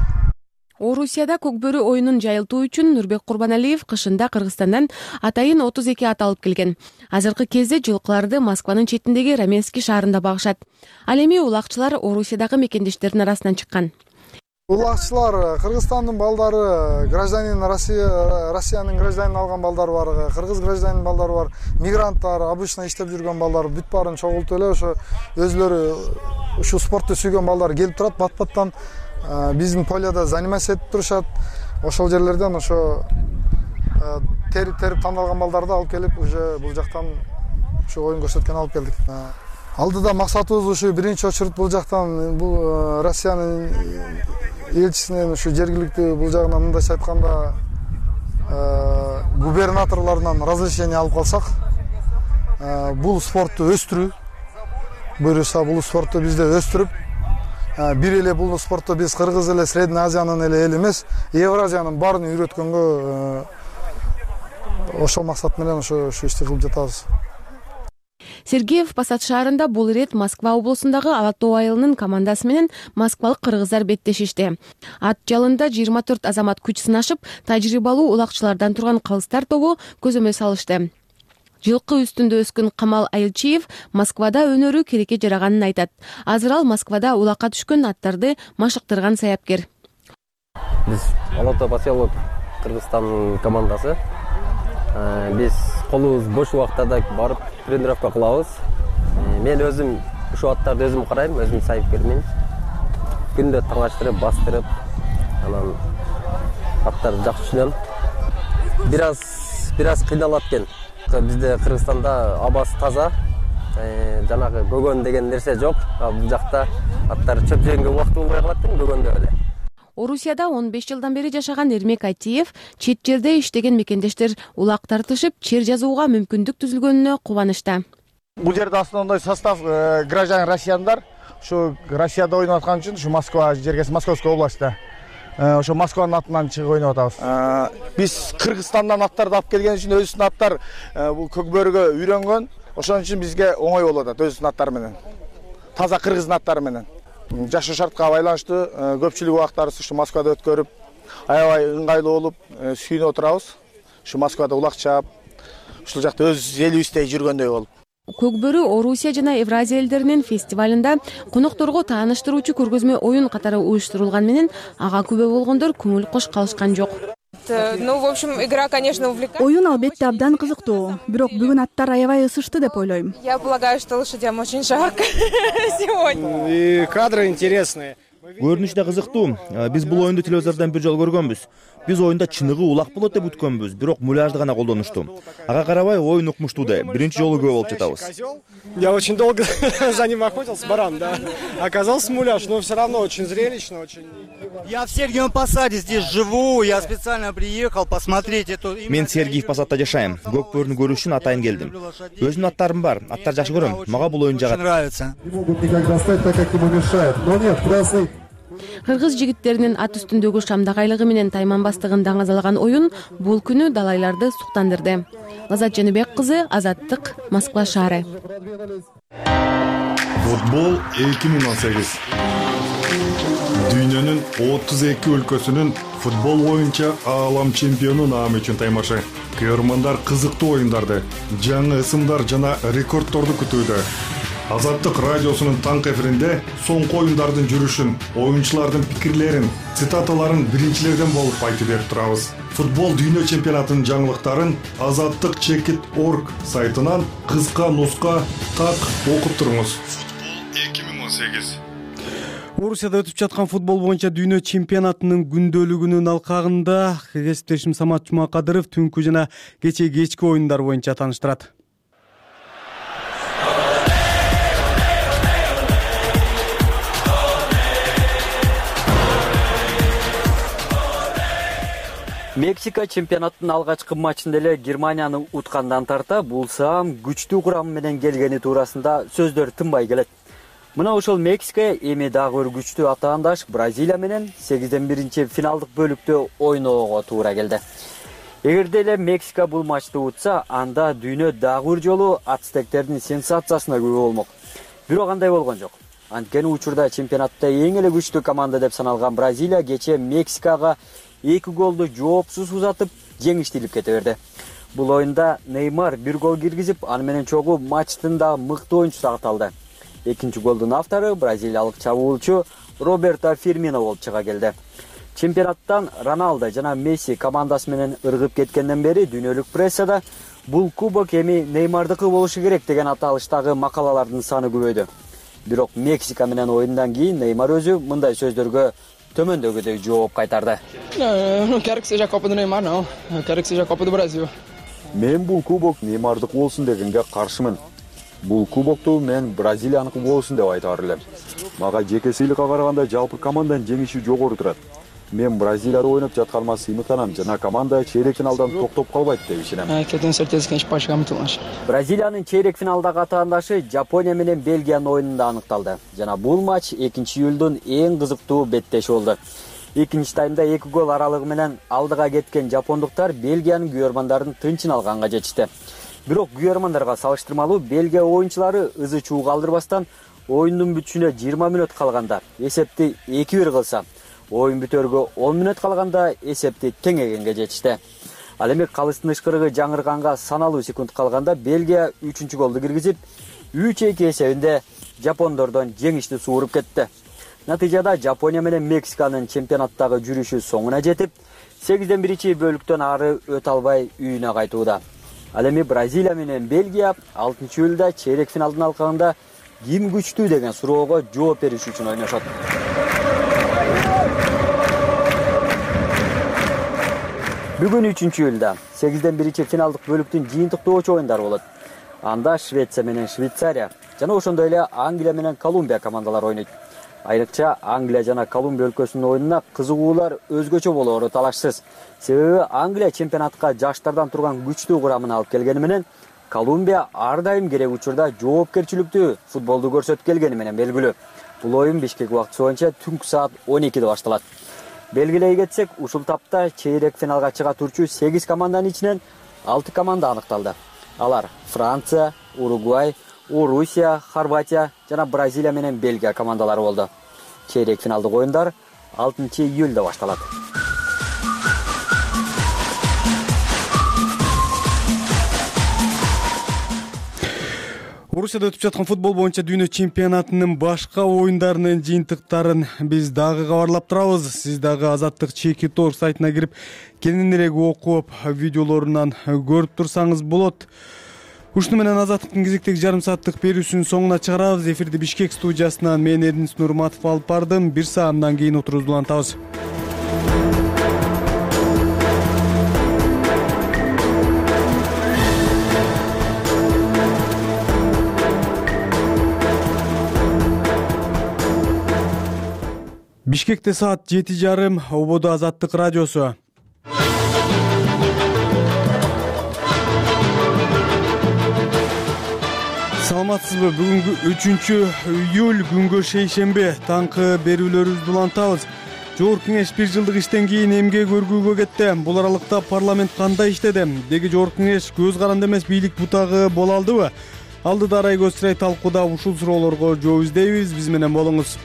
Орусияда көкбөрү оюнун жайылтуу үчүн Нурбек Курбаналиев кышында Кыргызстандан атайын отуз эки ат алып келген. Азыркы кезде жылкыларды Москванын четиндеги Раменский шаарында багышат. Ал эми улакчылар Орусиядагы мекендештердин арасынан чыккан. Улакчылар Кыргызстандын балдары, гражданин Россия, Россиянын гражданин алган балдар бар, кыргыз гражданин балдары бар, мигранттар, обычно иштеп жүргөн балдар бүт баарын чогултуп эле ошо өзлөрү ушу спортту сүйгөн балдар келип турат, бат-баттан биздин поледа заниматься этип турушат. Ошол жерлерден ошо терип-терип тандалган балдарды алып келип, уже бул жактан ушу оюн көрсөткөн алып келдик. Алдыда максатыбыз ушу биринчи очередь бул жактан бул Россиянын элчисинен ушу жергиликтүү бул жагынан мындайча айтканда губернаторлорунан разрешение алып калсак, бул спортту өстүрүү, буюрса бул спортту бизде өстүрүп, бир эле бул спортто биз Кыргыз эле, Средний Азиянын эле эл эмес, Евразиянын баарын үйрөткөнгө ошол максат менен ошо ушу ишти кылып жатабыз. Сергеев Посад шаарында бул ирет Москва облусундагы Алатоо айылынын командасы менен москвалык кыргыздар беттешишти. Ат жалында жыйырма төрт азамат күч сынашып, тажрыйбалуу улакчылардан турган калыстар тобу көзөмөл салышты. Жылкы үстүндө өскөн Камал Айылчиев Москвада өнөрү керекке жараганын айтат. Азыр ал Москвада улакка түшкөн аттарды машыктырган саяпкер. Биз Алатоо поселок Кыргызстан командасы. Биз колубуз бош убактарда барып тренировка кылабыз. Мен өзүм ушу аттарды өзүм карайм, өзүм саяпкермин. Күндө таңаштырып, бастырып, анан аттарды жакшы түшүнөм. Бир аз бир аз кыйналат экен. Бизде Кыргызстанда абасы таза, жанагы көгөн деген нерсе жок. Бул жакта аттар чөп жегенге убакыт болбой калат экен, көгөндө эле. Орусияда он беш жылдан бери жашаган Эрмек Айтиев чет жерде иштеген мекендештер улак тартышып, чер жазууга мүмкүндүк түзүлгөнүнө кубанычта. Бул жерде основной состав граждан россияндар. Ушу Россияда ойноп аткан үчүн ушу Москва жергеси Московская областта. Ошо Москванын атынан чыгып ойноп атабыз. Биз Кыргызстандан аттарды алып келген үчүн өзүнүн аттар бул көкбөрүгө үйрөнгөн. Ошон үчүн бизге оңой болуп атат өзүнүн аттары менен. Таза кыргыздын аттары менен. Жашоо шартка байланыштуу көпчүлүк убактарыбызды ушу Москвада өткөрүп, аябай ыңгайлуу болуп, сүйүнүп отурабыз. Ушу Москвада улак чаап, ушул жакта өз элибиздей жүргөндөй болуп. Көкбөрү Орусия жана Евразия элдеринин фестивалында конокторго тааныштыруучу көргөзмө оюн катары уюштурулган менен ага күбө болгондор көңүл кош калышкан жок. Ну, в общем, игра, конечно, увлекательная. Оюн албетте абдан кызыктуу, бирок бүгүн аттар аябай ысышты деп ойлойм. Я полагаю, что лошадям очень жарко сегодня. И кадры интересные. Көрүнүш да кызыктуу. Биз бул оюнду телевизордон бир жолу көргөнбүз. Биз оюнда чыныгы улак болот деп күткөнбүз, бирок муляжды гана колдонушту. Ага карабай оюн укмуштуу да. Биринчи жолу күбө болуп жатабыз. Я очень долго за ним охотился, баран, да. Оказался муляж, но все равно очень зрелищно, очень. Я в Сергиевом Посаде здесь живу, я специально приехал посмотреть эту. Мен Сергиев Посадта жашайм. Көк бөрүнү көрүү үчүн атайын келдим. Өзүмдүн аттарым бар. Аттар жакшы көрөм. Мага бул оюн жагат. Нравится. Не могут никак достать, так как ему мешает. Но нет, красный. Кыргыз жигиттеринин ат үстүндөгү шамдагайлыгы менен тайманбастыгын даңазалаган оюн бул күнү далайларды суктандырды. Азат Жаныбек кызы, Азаттык, Москва шаары. Футбол эки миң он сегиз. Дүйнөнүн отуз эки өлкөсүнүн футбол боюнча аалам чемпиону наамы үчүн таймашы. Көрөрмандар кызыктуу оюндарды, жаңы ысымдар жана рекордторду күтүүдө. Азаттык радиосунун таңкы эфиринде соңку оюндардын жүрүшүн, оюнчулардын пикирлерин, цитаталарын биринчилерден болуп айтып берип турабыз. Футбол дүйнө чемпионатынын жаңылыктарын азаттык чекит точка орг сайтынан кыска нуска так окуп туруңуз. Футбол эки миң он сегиз. Орусияда өтүп жаткан футбол боюнча дүйнө чемпионатынын күндөлүгүнүн алкагында кесиптешим Самат Жумакадыров түнкү жана кечээ кечки оюндар боюнча тааныштырат. Мексика чемпионаттын алгачкы матчында эле Германияны уткандан тарта булсам күчтүү курамы менен келгени туурасында сөздөр тынбай келет. Мына ошол Мексика эми дагы бир күчтүү атаандаш Бразилия менен сегизден биринчи финалдык бөлүктө ойноого туура келди. Эгерде эле Мексика бул матчты утса, анда дүйнө дагы бир жолу ацтектердин сенсациясына күбө болмок. Бирок андай болгон жок. Анткени учурда чемпионатта эң эле күчтүү команда деп саналган Бразилия кечээ Мексикага эки голду жоопсуз узатып жеңиштелип кете берди. Бул оюнда Неймар бир гол киргизип, аны менен чогуу матчтын да мыкты оюнчусу аталды. Экинчи голдун автору бразилиялык чабуулчу Роберто Фирмино болуп чыга келди. Чемпионаттан Роналдо жана Месси командасы менен ыргып кеткенден бери дүйнөлүк прессада бул кубок эми Неймардыкы болушу керек деген аталыштагы макалалардын саны көбөйдү. Бирок Мексика менен оюндан кийин Неймар өзү мындай сөздөргө төмөндөгүдөй жооп кайтарды. Мен бул кубок Неймардык болсун дегенге каршымын. Бул кубокту мен Бразилияныкы болсун деп айтаар элем. Мага жеке сыйлыкка караганда жалпы команданын жеңиши жогору турат. Мен Бразилияда ойноп жатканыма сыймыктанам жана команда чейрек финалдан токтоп калбайт деп ишенем. Бразилиянын чейрек финалдагы атаандашы Жапония менен Бельгиянын оюнунда аныкталды. Жана бул матч экинчи июлдун эң кызыктуу беттеши болду. Экинчи таймда эки гол аралыгы менен алдыга кеткен жапондуктар Бельгиянын күйөрмандарын тынчын алганга жетишти. Бирок күйөрмандарга салыштырмалуу Бельгия оюнчулары ызы чуу калтырбастан оюндун бүтүшүнө жыйырма мүнөт калганда эсепти эки бир кылса, оюн бүтөргө он мүнөт калганда эсепти теңегенге жетишти. Ал эми калыстын ышкырыгы жаңырганга саналуу секунд калганда Бельгия үчүнчү голду киргизип, үч эки эсебинде жапондордон жеңишти сууруп кетти. Натыйжада Жапония менен Мексиканын чемпионаттагы жүрүшү соңуна жетип, сегизден биринчи бөлүктөн ары өтө албай үйүнө кайтууда. Ал эми Бразилия менен Бельгия алтынчы июлда чейрек финалдын алкагында ким күчтүү деген суроого жооп бериш үчүн ойношот. Бүгүн үчүнчү июлда сегизден биринчи финалдык бөлүктүн жыйынтыктоочу оюндары болот. Анда Швеция менен Швейцария жана ошондой эле Англия менен Колумбия командалары ойнойт. Айрыкча Англия жана Колумбия өлкөсүнүн оюнуна кызыгуулар өзгөчө болоору талашсыз. Себеби Англия чемпионатка жаштардан турган күчтүү курамын алып келгени менен, Колумбия ар дайым керек учурда жоопкерчиликтүү футболду көрсөтүп келгени менен белгилүү. Бул оюн Бишкек убактысы боюнча түнкү саат он экиде башталат. Белгилей кетсек, ушул тапта чейрек финалга чыга турчу сегиз команданын ичинен алты команда аныкталды. Алар Франция, Уругвай, Орусия, Хорватия жана Бразилия менен Бельгия командалары болду. Чейрек финалдык оюндар алтынчы июлда башталат. Орусияда өтүп жаткан футбол боюнча дүйнө чемпионатынын башка оюндарынын жыйынтыктарын биз дагы кабарлап турабыз. Сиз дагы Азаттык чеки тор сайтына кирип кененирээк окуп, видеолорунан көрүп турсаңыз болот. Ушуну менен Азаттыктын кезектеги жарым сааттык берүүсүнүн соңуна чыгарабыз. Эфирди Бишкек студиясынан мен Эрдинис Нурматов алып бардым. Бир саамдан кийин отурубузду улантабыз. Бишкекте саат жети жарым, ободо Азаттык радиосу. Саламатсызбы? Бүгүнкү үчүнчү июль күнгө шейшембе таңкы берүүлөрүбүздү улантабыз. Жогорку кеңеш бир жылдык иштен кийин эмгек өргүүгө кетти. Бул аралыкта парламент кандай иштеди? Деги жогорку кеңеш көз каранды эмес бийлик бутагы боло алдыбы? Алдыда арай көз сырай талкууда ушул суроолорго жооп издейбиз. Биз менен болуңуз.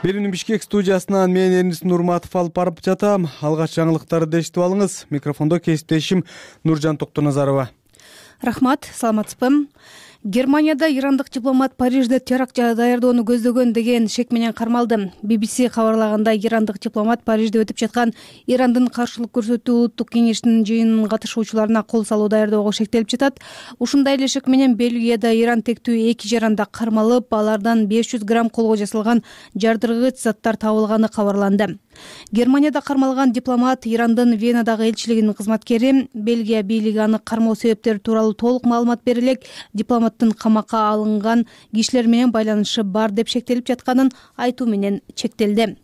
Берүүнү Бишкек студиясынан мен Эрдинис Нурматов алып барып жатам. Алгач жаңылыктарды эшитип алыңыз. Микрофондо кесиптешим Нуржан Токтоназарова. Рахмат, саламатсызбы? Германияда ирандык дипломат Парижде теракт даярдоону көздөгөн деген шек менен кармалды. би би си кабарлагандай, ирандык дипломат Парижде өтүп жаткан Ирандын каршылык көрсөтүү улуттук кеңешинин жыйынынын катышуучуларына кол салуу даярдоого шектелип жатат. Ушундай эле шек менен Бельгияда Иран тектүү эки жаранда кармалып, алардан беш жүз грамм колго жасалган жардыргыч заттар табылганы кабарланды. Германияда кармалган дипломат Ирандын Венадагы элчилигинин кызматкери. Бельгия бийлиги аны кармоо себептери тууралуу толук маалымат бере элек дипломаттын камакка алынган кишилер менен байланышы бар деп шектелип жатканын айтуу менен чектелди.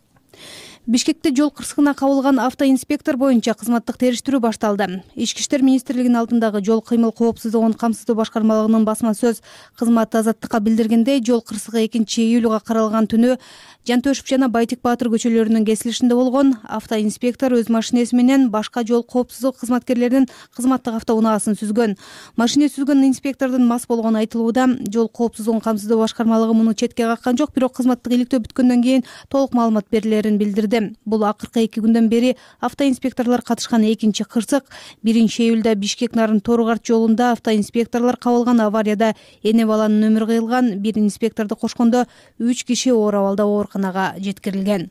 Бишкекте жол кырсыгына кабылган автоинспектор боюнча кызматтык териштирүү башталды. Ички иштер министрлигинин алдындагы жол кыймыл коопсуздугун камсыздоо башкармалыгынын басма сөз кызматы Азаттыкка билдиргендей, жол кырсыгы экинчи июлга каралган түнү Жантөшүп жана Байтик Баатыр көчөлөрүнүн кесилишинде болгон. Автоинспектор өз машинеси менен башка жол коопсуздук кызматкерлеринин кызматтык автоунаасын сүзгөн. Машине сүзгөн инспектордун мас болгону айтылууда. Жол коопсуздугун камсыздоо башкармалыгы муну четке каккан жок, бирок кызматтык иликтөө бүткөндөн кийин толук маалымат берилерин билдирди. Бул акыркы эки күндөн бери автоинспекторлор катышкан экинчи кырсык. биринчи июлда Бишкек Нарын Торгарт жолунда автоинспекторлор кабылган аварияда эне баланын өмүрү кыйылган. Бир инспекторду кошкондо үч киши оор абалда ооруканага жеткирилген.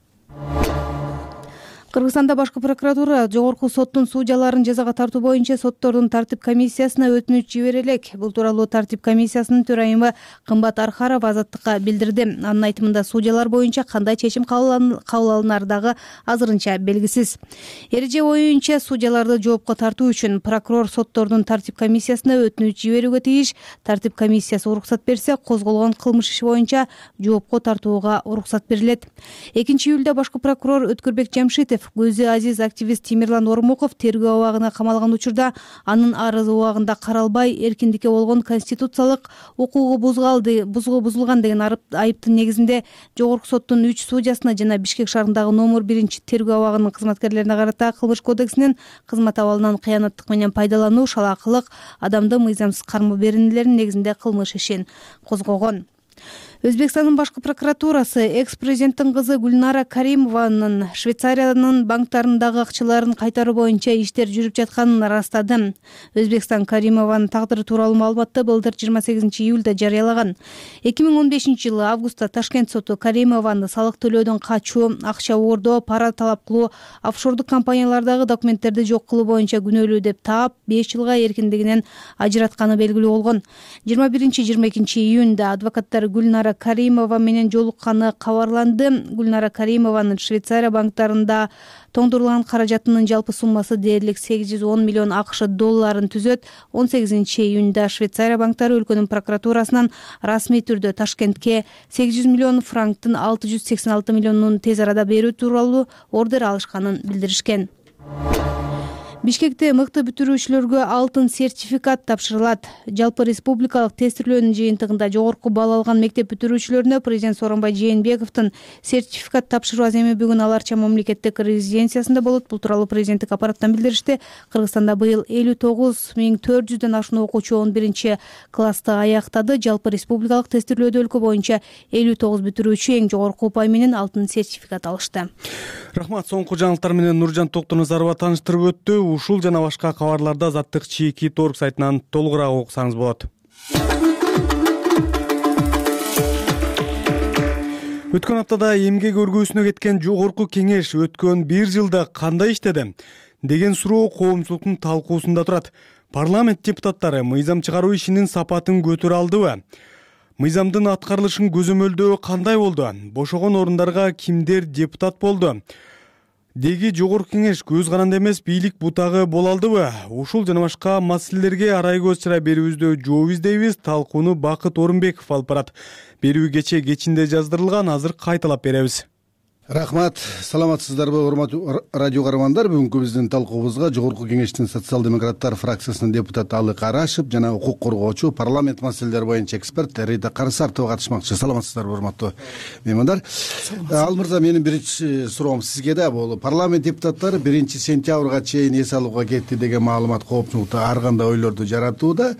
Кыргызстанда башкы прокуратура жогорку соттун судьяларын жазага тартуу боюнча соттордун тартип комиссиясына өтүнүч жибере элек. Бул тууралуу тартип комиссиясынын төрайымы Кымбат Архарова Азаттыкка билдирди. Анын айтымында судьялар боюнча кандай чечим кабыл алынары дагы азырынча белгисиз. Эреже боюнча судьяларды жоопко тартуу үчүн прокурор соттордун тартип комиссиясына өтүнүч жиберүүгө тийиш. Тартип комиссиясы уруксат берсе, козголгон кылмыш иши боюнча жоопко тартууга уруксат берилет. экинчи июлда башкы прокурор Өткөрбек Жамшитов көзү азиз активист Тимирлан Ормуков тергөө абагына камалган учурда анын арызы убагында каралбай, эркиндикке болгон конституциялык укугу бузулды, бузулган деген айыптын негизинде жогорку соттун үч судьясына жана Бишкек шаарындагы номер биринчи тергөө абагынын кызматкерлерине карата кылмыш кодексинин кызмат абалынан кыянаттык менен пайдалануу, шалаакылык, адамды мыйзамсыз кармоо беренелеринин негизинде кылмыш ишин козгогон. Өзбекстандын башкы прокуратурасы экс-президенттин кызы Гүлнара Каримованын Швейцариянын банктарындагы акчаларын кайтаруу боюнча иштер жүрүп жатканын ырастады. Өзбекстан Каримованын тагдыры тууралуу маалыматты былтыр жыйырма сегизинчи июлда жарыялаган. эки миң он бешинчи жылы августта Ташкент соту Каримованы салык төлөөдөн качуу, акча оордоо, пара талап кылуу, офшордук компаниялардагы документтерди жок кылуу боюнча күнөөлүү деп таап, беш жылга эркиндигинен ажыратканы белгилүү болгон. жыйырма биринчи жыйырма экинчи июнда адвокаттар Гүлнара Каримова менен жолукканы кабарланды. Гүлнара Каримованын Швейцария банктарында тоңдурулган каражатынын жалпы суммасы дээрлик сегиз жүз он миллион АКШ долларын түзөт. он сегизинчи июнда Швейцария банктары өлкөнүн прокуратурасынан расмий түрдө Ташкентке сегиз жүз миллион франктын алты жүз сексен алты миллионун тез арада берүү тууралуу ордер алышканын билдиришкен. Бишкекте мыкты бүтүрүүчүлөргө алтын сертификат тапшырылат. Жалпы республикалык тестирлөөнүн жыйынтыгында жогорку балл алган мектеп бүтүрүүчүлөрүнө президент Сооронбай Жээнбековдун сертификат тапшыруу аземи бүгүн Аларча мамлекеттик резиденциясында болот. Бул тууралуу президенттик аппараттан билдиришти. Кыргызстанда быйыл элүү тогуз миң төрт жүздөн ашуун окуучу он биринчи классты аяктады. Жалпы республикалык тестирлөөдө өлкө боюнча элүү тогуз бүтүрүүчү эң жогорку упай менен алтын сертификат алышты. Рахмат. Соңку жаңылыктар менен Нуржан Токтоназарова тааныштырып өттү. Ушул жана башка кабарларды Азаттык чийки торг сайтынан толугураак окусаңыз болот. Өткөн аптада эмгек өргүүсүнө кеткен жогорку кеңеш өткөн бир жылда кандай иштеди деген суроо коомчулуктун талкуусунда турат. Парламент депутаттары мыйзам чыгаруу ишинин сапатын көтөрө алдыбы? Мыйзамдын аткарылышын көзөмөлдөө кандай болду? Бошогон орундарга кимдер депутат болду? Деги жогорку кеңеш көз каранды эмес бийлик бутагы боло алдыбы? Ушул жана башка маселелерге арай көз чыра берүүбүздө жооп издейбиз. Талкууну Бакыт Орунбеков алып барат. Берүү кече кечинде жаздырылган, азыр кайталап беребиз. Рахмат. Саламатсыздарбы, урматтуу радио каармандар? Бүгүнкү биздин талкуубузга Жогорку кеңештин социал-демократтар фракциясынын депутаты Алык Арашев жана укук коргоочу, парламент маселелери боюнча эксперт Рита Карысартова катышмакчы. Саламатсыздарбы, урматтуу меймандар? Ал мырза, менин биринчи суроом сизге да. Бул парламент депутаттары биринчи сентябрга чейин эс алууга кетти деген маалымат коопчулукта ар кандай ойлорду жаратууда.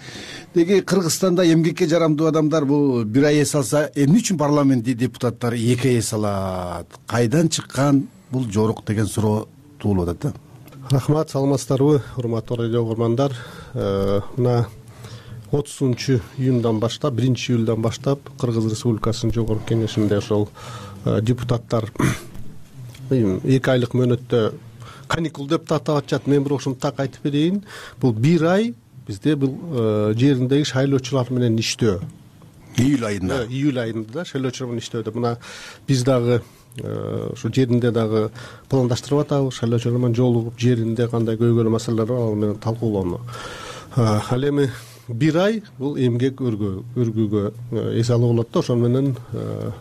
Деги Кыргызстанда эмгекке жарамдуу адамдар бул бир ай эс алса, эмне үчүн парламент депутаттары эки ай эс алат? Кайдан чыккан бул жорук деген суроо туулуп атат да. Рахмат, саламатсыздарбы, урматтуу радио көргөндөр. Мына отузунчу июндан баштап, биринчи июлдан баштап Кыргыз Республикасынын Жогорку кеңешинде ошол депутаттар эки айлык мөөнөттө каникул деп атап атышат. Мен бирок ушуну так айтып берейин. Бул бир ай бизде бул жериндеги шайлоочулар менен иштөө. Июль айында. Июль айында шайлоочулар менен иштөөдө. Мына биз дагы ушу жеринде дагы пландаштырып атабыз. Шайлоочулар менен жолугуп, жеринде кандай көйгөйлүү маселелер бар, ал менен талкуулоону. Ал эми бир ай бул эмгек өргүүгө эс алуу болот да. Ошон менен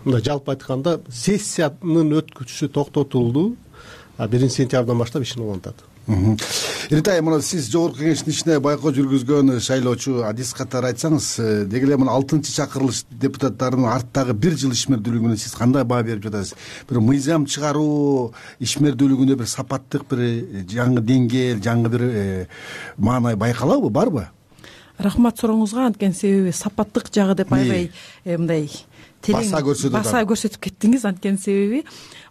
мындай жалпы айтканда сессиянын өткүчүсү токтотулду. биринчи сентябрдан баштап ишин улантат. Ритай, мына сиз Жогорку кеңештин ичине байкоо жүргүзгөн шайлоочу, адис катары айтсаңыз, деги эле мына алтынчы чакырылыш депутаттарынын арттагы бир жыл ишмердүүлүгүнө сиз кандай баа берип жатасыз? Бир мыйзам чыгаруу ишмердүүлүгүндө бир сапаттык, бир жаңы деңгээл, жаңы бир маанай байкалабы, барбы? Рахмат сурооңузга. Анткени себеби сапаттык жагы деп аябай мындай баса көрсөтүп баса көрсөтүп кеттиңиз. Анткени себеби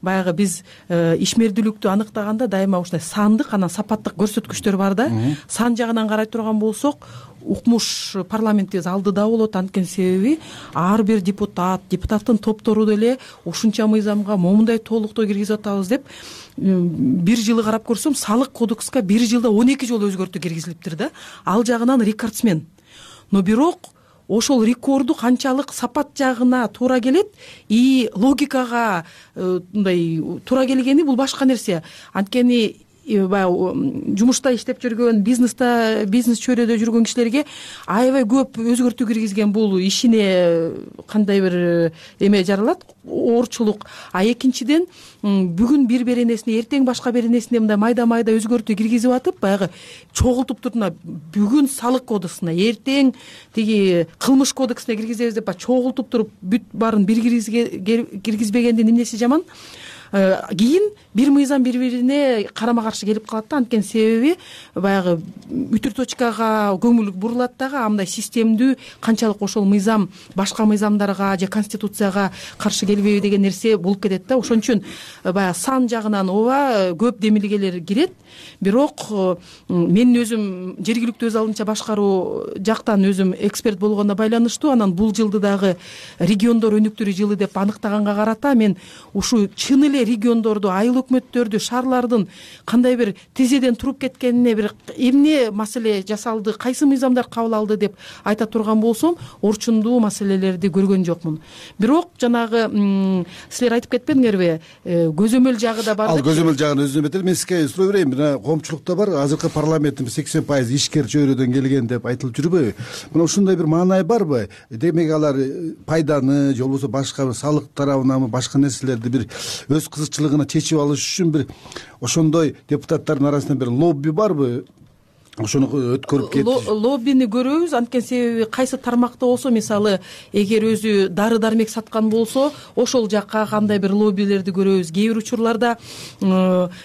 баягы биз ишмердүүлүктү аныктаганда дайыма ушундай сандык, анан сапаттык көрсөткүчтөр бар да. Сан жагынан карай турган болсок, укмуш парламентибиз алдыда болот. Анткени себеби ар бир депутат, депутаттын топтору деле ушунча мыйзамга момундай толуктоо киргизип атабыз деп бир жылы карап көрсөм, салык кодекске бир жылда он эки жолу өзгөртүү киргизилиптир да. Ал жагынан рекордсмен. Но бирок ошол рекорду канчалык сапат жагына туура келет и логикага мындай туура келгени бул башка нерсе. Анткени баягы жумушта иштеп жүргөн, бизнесте, бизнес чөйрөдө жүргөн кишилерге аябай көп өзгөртүү киргизген бул ишине кандай бир эме жаралат, оорчулук. А экинчиден бүгүн бир беренесине, эртең башка беренесине мындай майда-майда өзгөртүү киргизип атып, баягы чогултуп турдуна бүгүн салык кодексине, эртең тиги кылмыш кодексине киргизебиз деп чогултуп туруп бүт баарын бир киргизбегендин эмнеси жаман? Кийин бир мыйзам бири-бирине карама каршы келип калат да. Анткени себеби баягы үтүр точкага көңүл бурулат дагы, андай системдүү канчалык ошол мыйзам башка мыйзамдарга же конституцияга каршы келбейби деген нерсе болуп кетет да. Ошон үчүн баягы сан жагынан ооба көп демилгелер кирет. Бирок мен өзүм жергиликтүү өз алдынча башкаруу жактан өзүм эксперт болгонуна байланыштуу, анан бул жылды дагы региондор өнүктүрүү жылы деп аныктаганга карата мен ушу чын эле региондорду, айыл өкмөттөрдү, шаарлардын кандай бир тизеден туруп кеткенине бир эмне маселе жасалды, кайсы мыйзамдар кабыл алды деп айта турган болсом, орчундуу маселелерди көргөн жокмун. Бирок жанагы силер айтып кетпедиңерби, көзөмөл жагы да бар. Ал көзөмөл жагын өзүнө бетер. Мен сизге суроо берейин. Мына коомчулукта бар, азыркы парламенттин сексен пайызы ишкер чөйрөдөн келген деп айтылып жүрбөйбү? Мына ушундай бир маанай барбы? Демек алар пайданы же болбосо башка салык тарабынанбы, башка нерселерди бир өз кызыкчылыгына чечип алыш үчүн бир ошондой депутаттардын арасында бир лобби барбы? Ошону өткөрүп кетти. Лоббини көрөбүз. Анткени себеби кайсы тармакта болсо, мисалы, эгер өзү дары-дармек саткан болсо, ошол жакка кандай бир лоббилерди көрөбүз. Кээ бир учурларда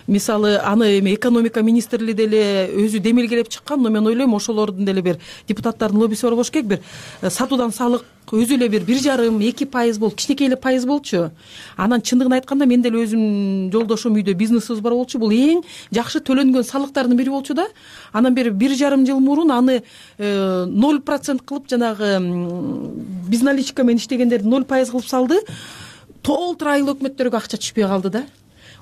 мисалы аны эми экономика министрлиги деле өзү демилгелеп чыккан, но мен ойлойм ошолордун деле бир депутаттардын лоббиси бар болуш керек. Бир сатуудан салык өзү эле бир бир жарым эки пайыз болуп кичинекей эле пайыз болчу. Анан чындыгын айтканда мен деле өзүм жолдошум үйдө бизнесибиз бар болчу. Бул эң жакшы төлөнгөн салыктардын бири болчу да. Анан бери бир жарым жыл мурун аны ноль процент кылып жанагы безналичка менен иштегендерди ноль пайыз кылып салды. Толтур айыл өкмөттөргө акча түшпөй калды да.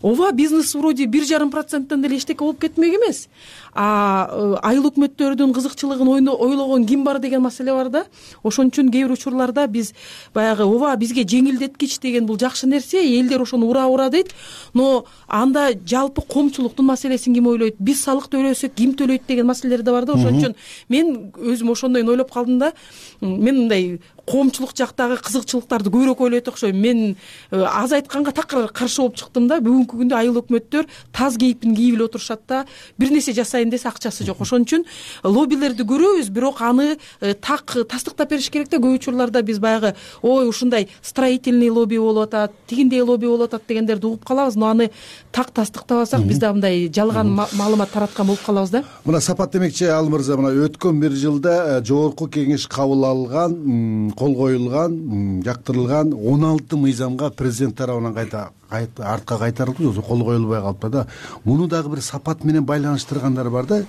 Ооба, бизнес вроде бир жарым проценттен деле эчтеке болуп кетмек эмес. А айыл өкмөттөрдүн кызыкчылыгын ойлогон ким бар деген маселе бар да. Ошон үчүн кээ бир учурларда биз баягы ооба бизге жеңилдеткич деген бул жакшы нерсе, элдер ошону ура ура дейт. Но анда жалпы коомчулуктун маселесин ким ойлойт? Биз салык төлөсөк ким төлөйт деген маселелер да бар да. Ошон үчүн мен өзүм ошондой ойлоп калдым да. Мен мындай коомчулук жактагы кызыкчылыктарды көбүрөөк ойлойт окшойм. Мен аз айтканга такыр каршы болуп чыктым да. Бүгүнкү күндө айыл өкмөттөр таз кейпин кийип эле отурушат да. Бир нерсе жасайын десе акчасы жок. Ошон үчүн лоббилерди көрөбүз, бирок аны так тастыктап бериш керек да. Көп учурларда биз баягы ой ушундай строительный лобби болуп атат, тигиндей лобби болуп атат дегендерди угуп калабыз. Но аны так тастыктабасак биз да мындай жалган маалымат тараткан болуп калабыз да. Мына Сапат демекчи Ал мырза, мына өткөн бир жылда жогорку кеңеш кабыл алган, кол коюлган, жактырылган он алты мыйзамга президент тарабынан кайта артка кайтарылды, же кол коюлбай калыпты да. Муну дагы бир Сапат менен байланыштыргандар бар да.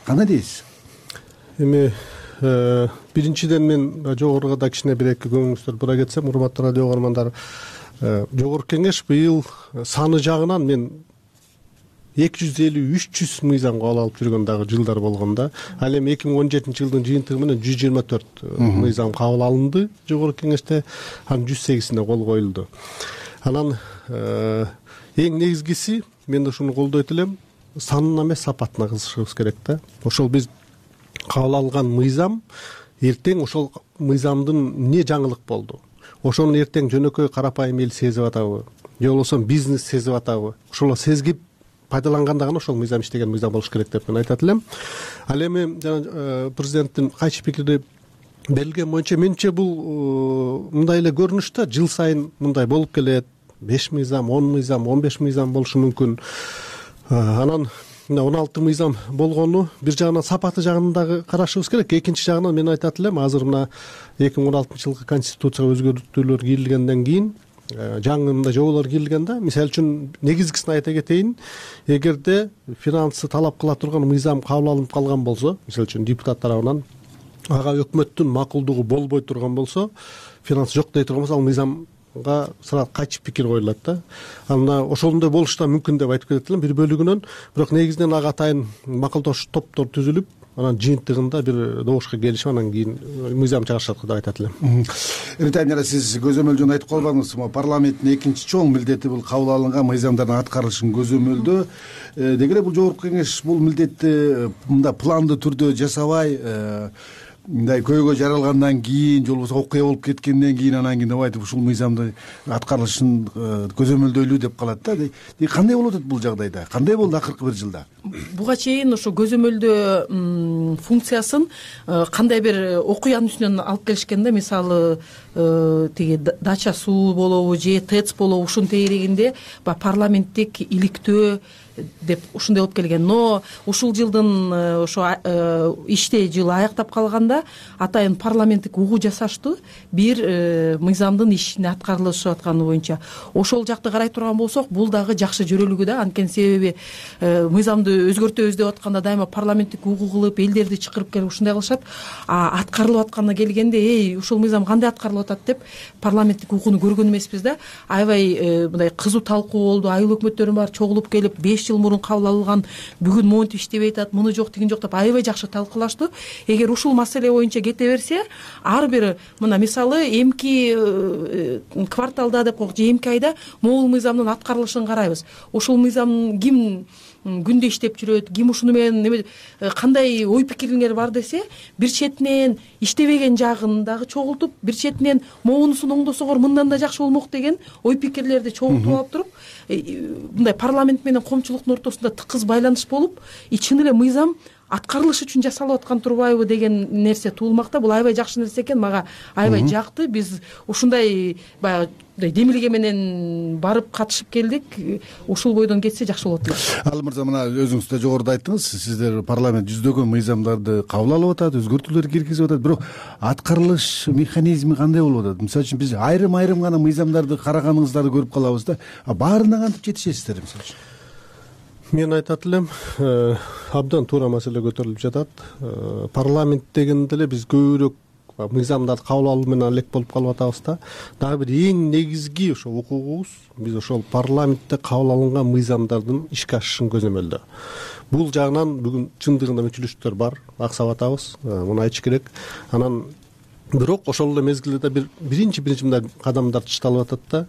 Кандай дейсиз? Эми биринчиден мен жогоруга да кичине бир эки көңүлүңүздөр бура кетсем, урматтуу радио угармандар, жогорку кеңеш быйыл саны жагынан мен эки жүз элүү үч жүз мыйзам кабыл алып жүргөн дагы жылдар болгон да. Ал эми эки миң он жетинчи жылдын жыйынтыгы менен жүз жыйырма төрт мыйзам кабыл алынды жогорку кеңеште, анын жүз сегизине кол коюлду. Анан эң негизгиси мен ушуну колдойт элем, санына эмес сапатына кызышыбыз керек да. Ошол биз кабыл алган мыйзам эртең ошол мыйзамдын эмне жаңылык болду, ошону эртең жөнөкөй карапайым эл сезип атабы, же болбосо бизнес сезип атабы, ошол сезгип пайдаланганда гана ошол мыйзам иштеген мыйзам болуш керек деп мен айтат элем. Ал эми жана президенттин кайчы пикири берилген боюнча менимче бул мындай эле көрүнүш да, жыл сайын мындай болуп келет. беш мыйзам, он мыйзам, он беш мыйзам болушу мүмкүн. Анан он алты мыйзам болгону бир жагынан сапаты жагын дагы карашыбыз керек. Экинчи жагынан мен айтат элем, азыр мына эки миң он алтынчы жылкы конституцияга өзгөртүүлөр кирилгенден кийин жаңы мындай жоболор кирилген да. Мисалы үчүн негизгисин айта кетейин. Эгерде финансы талап кыла турган мыйзам кабыл алынып калган болсо, мисалы үчүн депутат тарабынан ага өкмөттүн макулдугу болбой турган болсо, финансы жок дей турган болсо, ал мыйзамга сразу кайчы пикир коюлат да. Анда ошондой болуш да мүмкүн деп айтып кетет элем бир бөлүгүнөн. Бирок негизинен ага атайын макулдош топтор түзүлүп, анан жыйынтыгында бир добушка келишип, анан кийин мыйзам чыгарышат деп айтат элем. Эритайм жана сиз көзөмөлдөн айтып калбадыңызбы? Парламенттин экинчи чоң милдети бул кабыл алынган мыйзамдардын аткарылышын көзөмөлдөө. Деги эле бул жогорку кеңеш бул милдетти мындай пландуу түрдө жасабай, мындай көйгөй жаралгандан кийин, же болбосо окуя болуп кеткенден кийин анан кийин айтып ушул мыйзамдын аткарылышын көзөмөлдөйлү деп калат да. Кандай болуп атат бул жагдайда? Кандай болду акыркы бир жылда? Буга чейин ошо көзөмөлдөө функциясын кандай бир окуянын үстүнөн алып келишкен да. Мисалы тиги дача суу болобу же тэц болобу, ушунун тегерегинде парламенттик иликтөө деп ушундай болуп келген. Но ушул жылдын ошо иште жылы аяктап калганда атайын парламенттик угуу жасаштуу бир мыйзамдын ишине аткарылышып атканы боюнча. Ошол жакты карай турган болсок, бул дагы жакшы жөрөлүгү да. Анткени себеби мыйзамды өзгөртөбүз деп атканда дайыма парламенттик угуу кылып, элдерди чакырып келип ушундай кылышат. А аткарылып атканына келгенде, эй, ушул мыйзам кандай аткарылып атат деп парламенттик угууну көргөн эмеспиз да. Аябай мындай кызуу талкуу болду. Айыл өкмөттөрүн баары чогулуп келип, беш жыл мурун кабыл алынган бүгүн монтип иштебей атат, муну жок, тигин жок деп аябай жакшы талкуулашту. Эгер ушул маселе боюнча кете берсе, ар бир мына мисалы эмки кварталда деп коелу, же эмки айда могул мыйзамдын аткарылышын карайбыз. Ушул мыйзам ким күндө иштеп жүрөт, ким ушуну менен кандай ой пикирлер бар десе, бир четинен иштебеген жагын дагы чогултуп, бир четинен могунусун оңдосоңор мындан да жакшы болмок деген ой пикирлерди чогултуп алып туруп, мындай парламент менен коомчулуктун ортосунда тыкыз байланыш болуп, чын эле мыйзам аткарылыш үчүн жасалып аткан турбайбы деген нерсе туулмакта. Бул аябай жакшы нерсе экен, мага аябай жакты. Биз ушундай баягы ушундай демилге менен барып катышып келдик. Ушул бойдон кетсе жакшы болот эле. Ал мырза, мына өзүңүз да жогоруда айттыңыз, сиздер парламент жүздөгөн мыйзамдарды кабыл алып атат, өзгөртүүлөр киргизип атат, бирок аткарылыш механизми кандай болуп атат? Мисалы үчүн биз айрым айрым гана мыйзамдарды караганыңыздарды көрүп калабыз да, баарына кантип жетишесиздер мисалы үчүн? Мен айтат элем, абдан туура маселе көтөрүлүп жатат. Парламент дегенде эле биз көбүрөөк мыйзамдарды кабыл алуу менен элек болуп калып атабыз да. Дагы бир эң негизги ошо укугубуз биз ошол парламентте кабыл алынган мыйзамдардын ишке ашышын көзөмөлдөө. Бул жагынан бүгүн чындыгында мүчүлүштөр бар, аксап атабыз, муну айтыш керек. Анан бирок ошол эле мезгилде бир биринчи биринчи мындай кадамдар ташталып атат да.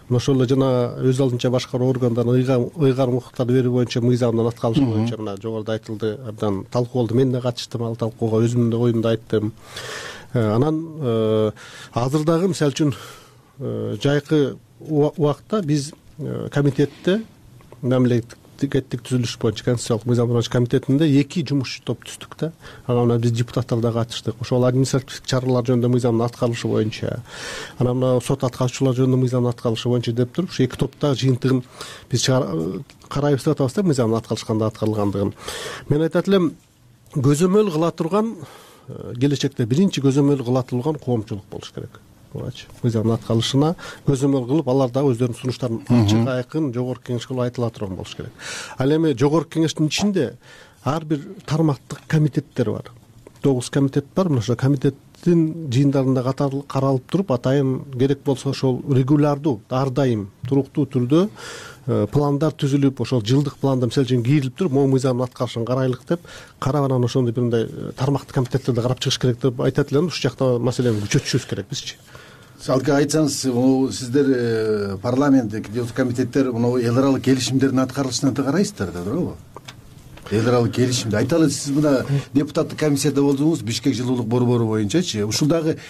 Мына ошол эле жана өз алдынча башкаруу органдарына ыйгарым укуктарды берүү боюнча мыйзамдын аткарылышы боюнча мына жогоруда айтылды, абдан талкуу болду. Мен да катыштым ал талкууга, өзүмдүн да оюмду айттым. Анан азыр дагы мисалы үчүн жайкы убакта биз комитетте, мамлекеттик түзүлүш боюнча конституциялык мыйзамдуу комитетинде эки жумушчу топ түздүк да. Ага биз депутаттар да катыштык. Ошол административдик чаралар жөнүндө мыйзамдын аткарылышы боюнча, анан мына сот аткарчылар жөнүндө мыйзамдын аткарылышы боюнча деп туруп, ушу эки топтагы жыйынтыгын биз карайбыз деп атабыз да, мыйзамдын аткарылыш кандай аткарылгандыгын. Мен айтат элем, көзөмөл кыла турган келечекте биринчи көзөмөл кыла турган коомчулук болуш керек. Мыйзамдын аткарылышына көзөмөл кылып, алар дагы өздөрүнүн сунуштарын ачык айкын жогорку кеңешке айтыла турган болуш керек. Ал эми жогорку кеңештин ичинде ар бир тармактык комитеттер бар. тогуз комитет бар. Мына ошол комитеттин жыйындарында каралып туруп, атайын керек болсо ошол регулярдуу, ар дайым туруктуу түрдө пландар түзүлүп, ошол жылдык планда мисалы үчүн кийрилип туруп, могу мыйзамдын аткарышын карайлык деп, карап анан ошондой бир мындай тармактык комитеттерди карап чыгыш керек деп айтат элем. Ушул жакта маселени күчөтүшүбүз керек бизчи. Салга айтсаңыз, сиздер парламенттик комитеттер мына эл аралык келишимдердин аткарылышына да карайсыздар да, туурабы? Эл аралык келишимди айталы, сиз мына депутаттык комиссияда болдуңуз, Бишкек жылуулук борбору боюнчачы. Ушул дагы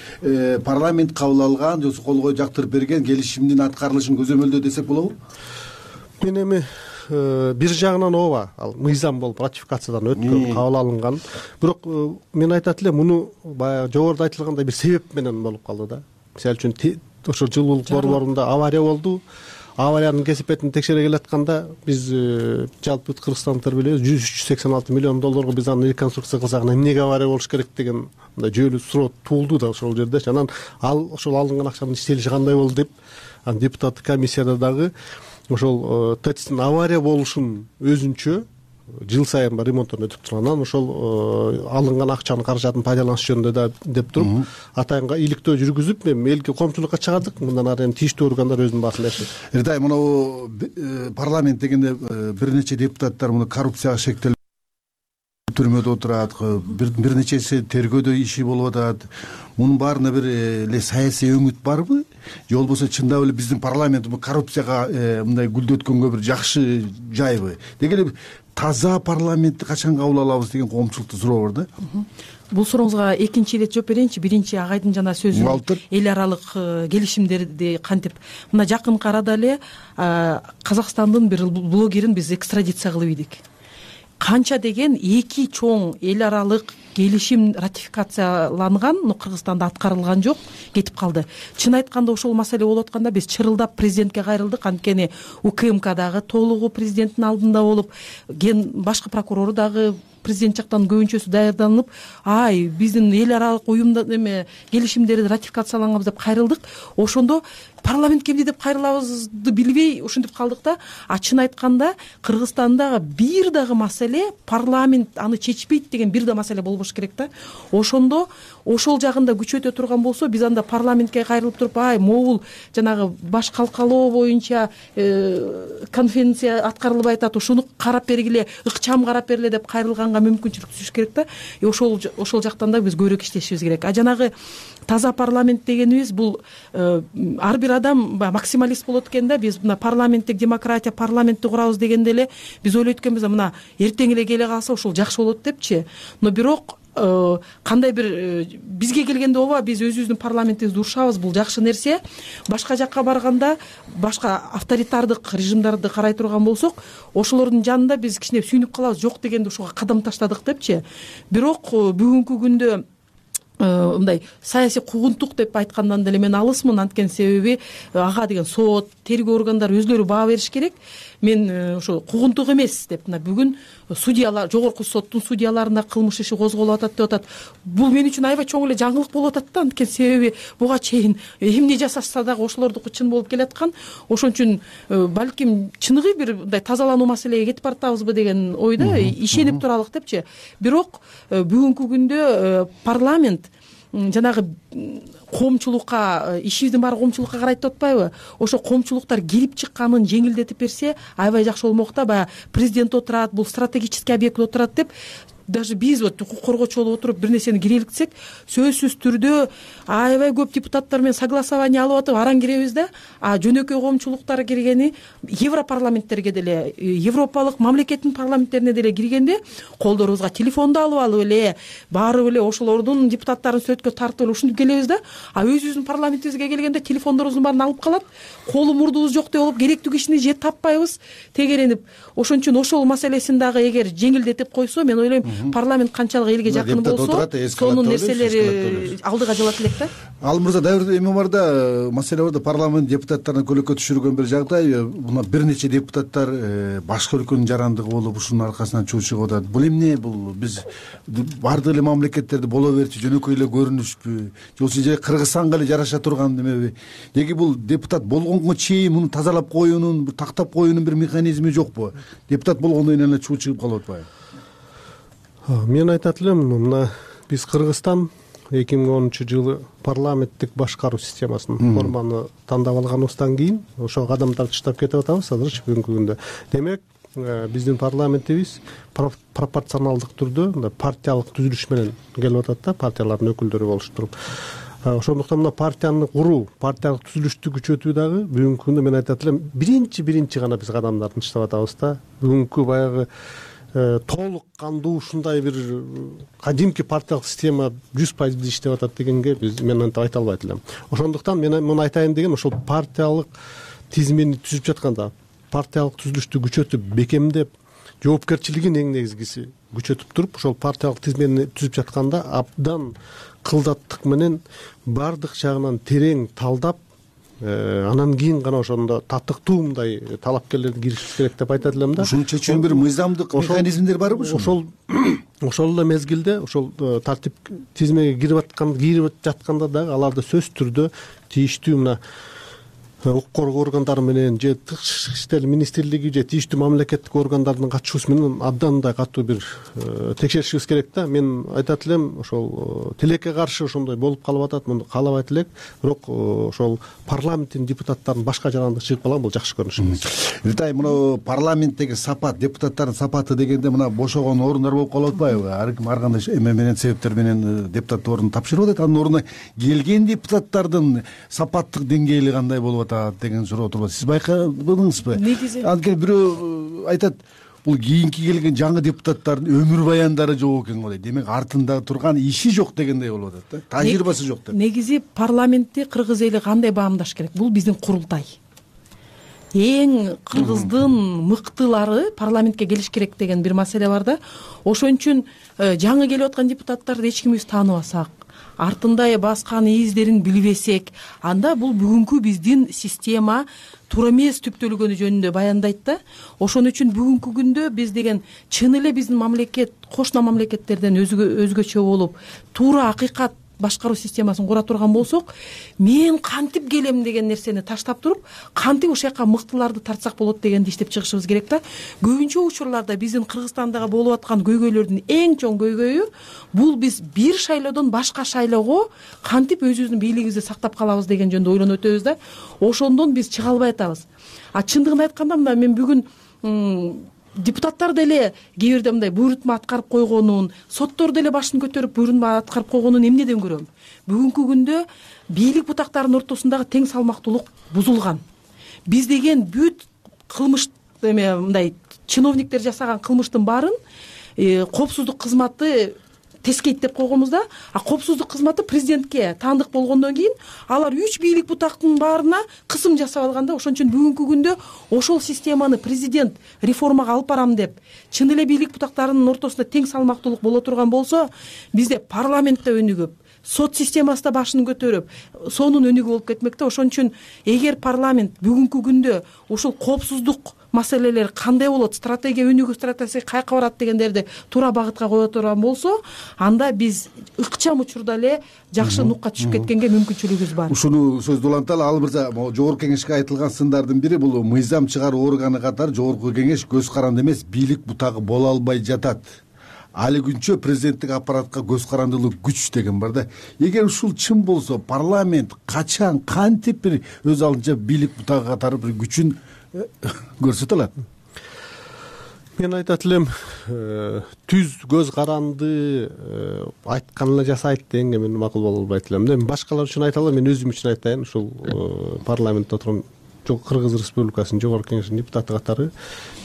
парламент кабыл алган, же колго жактырып берген келишимдин аткарылышын көзөмөлдөө десек болобу? Мен эми бир жагынан ооба, ал мыйзам болуп ратификациядан өткөн, кабыл алынган. Бирок мен айтат элем, муну баягы жогоруда айтылгандай бир себеп менен болуп калды да. Мисалы үчүн ошо жылуулук борборунда авария болду. Авариянын кесипетин текшере келатканда биз жалпы кыргызстандыктар билебиз, жүз сексен алты миллион долларга биз аны реконструкция кылсак, эмнеге авария болуш керек деген мындай жүйөлүү суроо туулду да ошол жерде. Анан ал ошол алынган акчанын иштелиши кандай болду деп, анан депутаттык комиссияда дагы ошол тэцтин авария болушун өзүнчө жыл сайын ремонттон өтүп тургандан ошол алынган акчанын каражатын пайдаланыш жөнүндө да деп туруп, атайынга иликтөө жүргүзүп, элге коомчулукка чыгардык. Мындан ары эми тийиштүү органдар өзүнүн баасын беришет. Эртай, мына парламент дегенде бир нече депутаттар муну коррупцияга шектелип түрмөдө отурат, бир нечеси тергөөдө иши болуп атат. Мунун баарына бир эле саясий өңүт барбы? Же болбосо чындап эле биздин парламент коррупцияга мындай гүлдөткөнгө бир жакшы жайбы? Деги эле таза парламентти качан кабыл алабыз деген коомчулуктун суроо бар да. Бул сурооңузга экинчи ирет жооп берейинчи. Биринчи агайдын жана сөзүн эл аралык келишимдерди кантип мына жакынкы арада эле Казакстандын бир блогерин биз экстрадиция кылып идик. Канча деген эки чоң эл аралык келишим ратификацияланган, но Кыргызстанда аткарылган жок, кетип калды. Чын айтканда ошол маселе болуп атканда биз чырылдап президентке кайрылдык. Анткени УКМКдагы толугу президенттин алдында болуп, ген башкы прокурору дагы президент жактан көбүнчөсү даярданып, ай биздин эл аралык уюмда эме келишимдерди ратификацияланган деп кайрылдык. Ошондо парламентке эмне деп кайрылабызды билбей ушинтип калдык да. А чын айтканда Кыргызстандагы бир дагы маселе парламент аны чечпейт деген бир да маселе болбош керек да. Ошондо ошол жагында күчөтө турган болсо, биз анда парламентке кайрылып туруп, ай могул жанагы баш калкалоо боюнча конвенция аткарылбай атат, ушуну карап бергиле, ыкчам карап бергиле деп кайрылганга мүмкүнчүлүк түшүш керек да. И ошол ошол жактан да биз көбүрөөк иштешибиз керек. А жанагы таза парламент дегенибиз бул ар бир адам максималист болот экен да. Биз мына парламенттик демократия, парламентти курабыз дегенде эле биз ойлойт экенбиз, мына эртең эле келе калса ошол жакшы болот депчи. Но бирок кандай бир бизге келгенде ооба, биз өзүбүздүн парламентибизди урушабыз, бул жакшы нерсе. Башка жакка барганда, башка авторитардык режимдарды карай турган болсок, ошолордун жанында биз кичине сүйүнүп калабыз, жок дегенде ошого кадам таштадык депчи. Бирок бүгүнкү күндө мындай саясий куугунтук деп айткандан деле мен алысмын. Анткени себеби ага деген сот, тергөө органдары өзлөрү баа бериш керек. Мен ошо куугунтук эмес деп мына бүгүн судьялар, жогорку соттун судьяларына кылмыш иши козголуп атат деп атат. Бул мен үчүн аябай чоң эле жаңылык болуп атат да. Анткени себеби буга чейин эмне жасашса дагы ошолордуку чын болуп келаткан. Ошон үчүн балким чыныгы бир мындай тазалануу маселеге кетип баратабызбы деген ойдо ишенип туралык депчи. Бирок бүгүнкү күндө парламент жанагы коомчулукка, ишибиздин баары коомчулукка карайт деп атпайбы? Ошо коомчулуктар келип чыкканын жеңилдетип берсе аябай жакшы болмок да. Баягы президент отурат, бул стратегический объект отурат деп даже биз вот укук коргоочу болуп отуруп бир нерсени киреликсек, сөзсүз түрдө аябай көп депутаттар менен согласование алып атып араң киребиз да. А жөнөкөй коомчулуктар киргени европарламенттерге деле, европалык мамлекеттин парламенттерине деле киргенде колдорубузга телефонду алып алып эле, барып эле ошолордун депутаттарын сөткө тартып эле ушинтип келебиз да. А өзүбүздүн парламентибизге келгенде телефондорубуздун баарын алып калат. Колу мурдубуз жок деп болуп керектүү кишини же таппайбыз, тегеренип. Ошон үчүн ошол маселесин дагы эгер жеңилдетип койсо, мен ойлойм парламент канчалык элге жакын болсо, сонун нерселери алдыга жылат элек да. Ал мырза, дагы бир эме бар да, маселе бар да, парламент депутаттарын көлөккө түшүргөн бир жагдай, мына бир нече депутаттар башка өлкөнүн жарандыгы болуп, ушунун аркасынан чуу чыгып атат. Бул эмне? Бул биз бардык эле мамлекеттерде боло берчү, жөнөкөй эле көрүнүшпү? Жоксу же Кыргызстанга эле жараша турган немеби? Деги бул депутат болгонго чейин муну тазалап коюунун, тактап коюунун бир механизми жокпу? Депутат болгондон кийин эле чуу чыгып калып атпайбы? Мен айтат элем, мына биз Кыргызстан эки миң онунчу жылы парламенттик башкаруу системасынын форманы тандап алганыбыздан кийин ошол кадамдарды таштап кетип атабыз азырчы бүгүнкү күндө. Демек, биздин парламентибиз пропорционалдык түрдө партиялык түзүлүш менен келип атат да, партиялардын өкүлдөрү болуштуруп. Ошондуктан мына партияны куруу, партиялык түзүлүштү күчөтүү дагы бүгүнкү күндө мен айтат элем, биринчи биринчи гана биз кадамдарды таштап атабыз да. Бүгүнкү баягы толук кандуу ушундай бир кадимки партиялык система жүз пайыз иштеп атат дегенге биз мен антип айта албайт элем. Ошондуктан мен муну айтайын деген, ошол партиялык тизмени түзүп жатканда, партиялык түзүлүштү күчөтүп, бекемдеп, жоопкерчилигин эң негизгиси күчөтүп туруп, ошол партиялык тизмени түзүп жатканда абдан кылдаттык менен бардык жагынан терең талдап, анан кийин гана ошондо татыктуу мындай талапкерлерди киришибиз керек деп айтат элем да. Ушуну чечүүнүн бир мыйзамдык механизмдери барбы ушул? Ошол ошол эле мезгилде ошол тартип тизмеге кирип аткан кирип жатканда дагы аларды сөзсүз түрдө тийиштүү мына укук коргоо органдары менен же тышкы иштер министрлиги же тийиштүү мамлекеттик органдардын катышуусу менен абдан мындай катуу бир текшеришибиз керек да. Мен айтат элем, ошол тилекке каршы ошондой болуп калып атат, муну каалабайт элек, бирок ошол парламенттин депутаттарынын башка жарандыгы чыгып калган, бул жакшы көрүнүш эмес. Ритай, мына парламенттеги сапат, депутаттардын сапаты дегенде мына бошогон орундар болуп калып атпайбы? Ар ким ар кандай эме менен, себептер менен депутат ордун тапшырып атат. Анын ордуна келген депутаттардын сапаттык деңгээли кандай болуп атат деген суроо турат. Сиз байкадыңызбы? Анткени бирөө айтат, бул кийинки келген жаңы депутаттардын өмүр баяндары жок экен го дейт. Демек артында турган иши жок дегендей болуп атат да. Тажрыйбасы жок деп. Негизи парламентти кыргыз эли кандай баамдаш керек? Бул биздин курултай. Эң кыргыздын мыктылары парламентке келиш керек деген бир маселе бар да. Ошон үчүн жаңы келип аткан депутаттарды эч кимибиз тааныбасак, артында баскан издерин билбесек, анда бул бүгүнкү биздин система туура эмес түптөлгөнү жөнүндө баяндайт да. Ошон үчүн бүгүнкү күндө биз деген чын эле биздин мамлекет кошуна мамлекеттерден өзгөчө болуп, туура акыйкат башкаруу системасын кура турган болсок, мен кантип келем деген нерсени таштап туруп, кантип ошол жака мыктыларды тартсак болот дегенди иштеп чыгышыбыз керек да. Көбүнчө учурларда биздин Кыргызстандагы болуп аткан көйгөйлөрдүн эң чоң көйгөйү бул биз бир шайлоодон башка шайлоого кантип өзүбүздүн бийлигибизди сактап калабыз деген жөнүндө ойлонуп өтөбүз да. Ошондон биз чыга албай атабыз. А чындыгын айтканда, мына мен бүгүн депутаттар деле кээ бирде мындай буйрутма аткарып койгонун, соттор деле башын көтөрүп буйрутма аткарып койгонун эмнеден көрөм? Бүгүнкү күндө бийлик бутактарынын ортосундагы тең салмактуулук бузулган. Биз деген бүт кылмыш эме мындай чиновниктер жасаган кылмыштын баарын коопсуздук кызматы тескейт деп койгонбуз да. А коопсуздук кызматы президентке таандык болгондон кийин алар үч бийлик бутактын баарына кысым жасап алганда, ошон үчүн бүгүнкү күндө ошол системаны президент реформага алып барам деп чын эле бийлик бутактарынын ортосунда тең салмактуулук боло турган болсо, бизде парламентте өнүгүп, сот системасы да башын көтөрүп сонун өнүгүү болуп кетмек да. Ошон үчүн эгер парламент бүгүнкү күндө ушул коопсуздук маселелер кандай болот, стратегия өнүгүү стратегиясы каяка барат дегендерди туура багытка кое турган болсо, анда биз ыкчам учурда эле жакшы нукка түшүп кеткенге мүмкүнчүлүгүбүз бар. Ушуну сөздү уланталы. Ал мырза, могу жогорку кеңешке айтылган сындардын бири бул мыйзам чыгаруу органы катары жогорку кеңеш көз каранды эмес, бийлик бутагы боло албай жатат. Али күнчө президенттик аппаратка көз карандылык күч деген бар да. Эгер ушул чын болсо, парламент качан, кантип бир өз алдынча бийлик бутагы катары бир күчүн көрсөтө алат? Мен айтат элем, түз көз каранды айткан эле жасайт дегенге мен макул боло албайт элем да. Мен башкалар үчүн айта алам, мен өзүм үчүн айтайын. Ушул парламентте отурган Кыргыз Республикасынын жогорку кеңешинин депутаты катары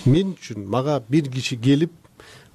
мен үчүн мага бир киши келип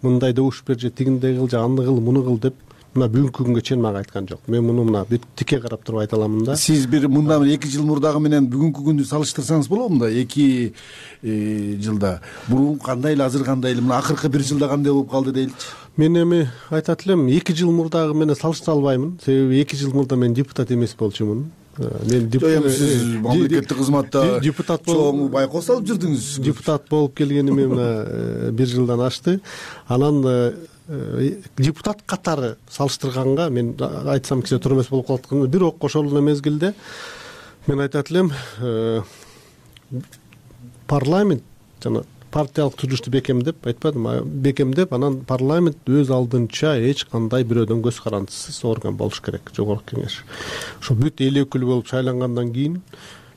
мындай добуш бер же тигиндей кыл же аны кыл муну кыл деп мына бүгүнкү күнгө чейин мага айткан жок. Мен муну мына бүт тике карап туруп айта аламын да. Сиз бир мындан эки жыл мурдагы менен бүгүнкү күндү салыштырсаңыз болобу? Мында эки жылда мурун кандай эле, азыр кандай эле, мына акыркы бир жылда кандай болуп калды дейли. Мен эми айтат элем, эки жыл мурдагы менен салыштыра албаймын. Себеби эки жыл мурда мен депутат эмес болчумун. Мен сиз мамлекеттик кызматта депутат чоң байкоо салып жүрдүңүз. Депутат болуп келгениме мына бир жылдан ашты. Анан депутат катары салыштырганга мен айтсам кичине туура эмес болуп калат. Бирок ошол эле мезгилде мен айтат элем, парламент жана партиялык түзүлүштү бекемдеп, айтпадым, бекемдеп, анан парламент өз алдынча эч кандай бирөөдөн көз карандысыз орган болуш керек, жогорку кеңеш. Ошо бүт эл өкүлү болуп шайлангандан кийин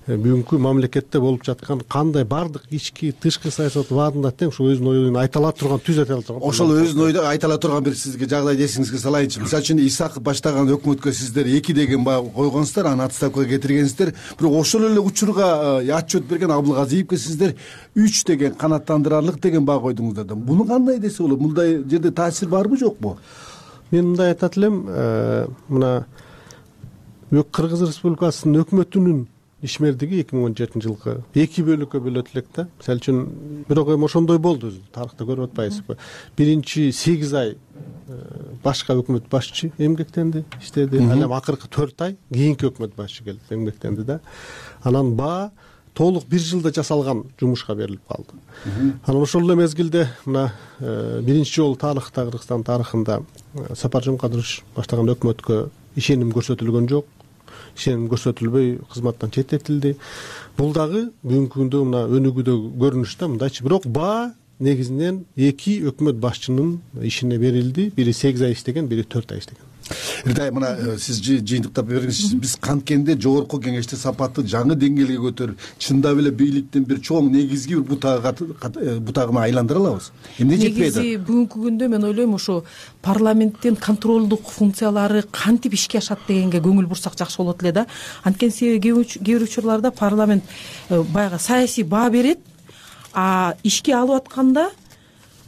бүгүнкү мамлекетте болуп жаткан кандай бардык ички тышкы саясат баарында тең ушул өзүнүн оюн айта ала турган, түз айта ала турган. Ошол өзүнүн ойду айта ала турган бир сизге жагдай эсиңизге салайынчы. Мисалы үчүн Исаков баштаган өкмөткө сиздер эки деген баа койгонсуздар, аны отставкага кетиргенсиздер. Бирок ошол эле учурга отчет берген Абылгазиевке сиздер үч деген канааттандырарлык деген баа койдуңуздар да. Буну кандай десе болот? Мындай жерде таасир барбы жокпу? Мен мындай айтат элем, мына Кыргыз Республикасынын өкмөтүнүн ишмердиги эки миң он жетинчи жылкы эки бөлүккө бөлөт элек да. Мисалы үчүн бирок эми ошондой болду, тарыхта көрүп атпайсызбы? Биринчи сегиз ай башка өкмөт башчы эмгектенди, иштеди. Анан акыркы төрт ай кийинки өкмөт башчы келип эмгектенди да. Анан баа толук бир жылда жасалган жумушка берилип калды. Анан ошол эле мезгилде мына биринчи жолу тарыхта, Кыргызстан тарыхында Сапаржон Кадырович баштаган өкмөткө ишеним көрсөтүлгөн жок. Ишеним көрсөтүлбөй кызматтан четтетилди. Бул дагы бүгүнкү күндө мына өнүгүүдө көрүнүш да, мындайчы. Бирок баа негизинен эки өкмөт башчынын ишине берилди. Бири сегиз ай иштеген, бири төрт ай иштеген. Эртай, мына сиз жыйынтыктап бериңизчи. Биз канткенде жогорку кеңеште сапатты жаңы деңгээлге көтөрүп, чындап эле бийликтин бир чоң негизги бир бутагына айландыра алабыз. Эмне жетпей атат? Негизи бүгүнкү күндө мен ойлойм, ошо парламенттин контролдук функциялары кантип ишке ашат дегенге көңүл бурсак жакшы болот эле да. Анткени себеби кээ бир учурларда парламент баягы саясий баа берет, а ишке алып атканда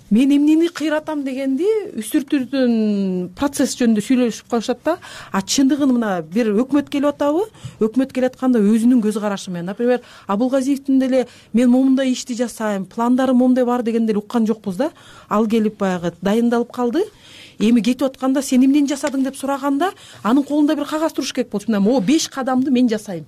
мен эмнени кыйратам дегенди үстүртүүтүн процесс жөнүндө сүйлөшүп калышат да. А чындыгын мына бир өкмөт келип атабы, өкмөт келатканда өзүнүн көз карашы менен, например, Абылгазиевдин деле мен момундай ишти жасайм, пландарым момундай бар дегенди уккан жокпуз да. Ал келип баягы дайындалып калды. Эми кетип атканда сен эмнени жасадың деп сураганда, анын колунда бир кагаз туруш керек болчу. Мына могу беш кадамды мен жасайм.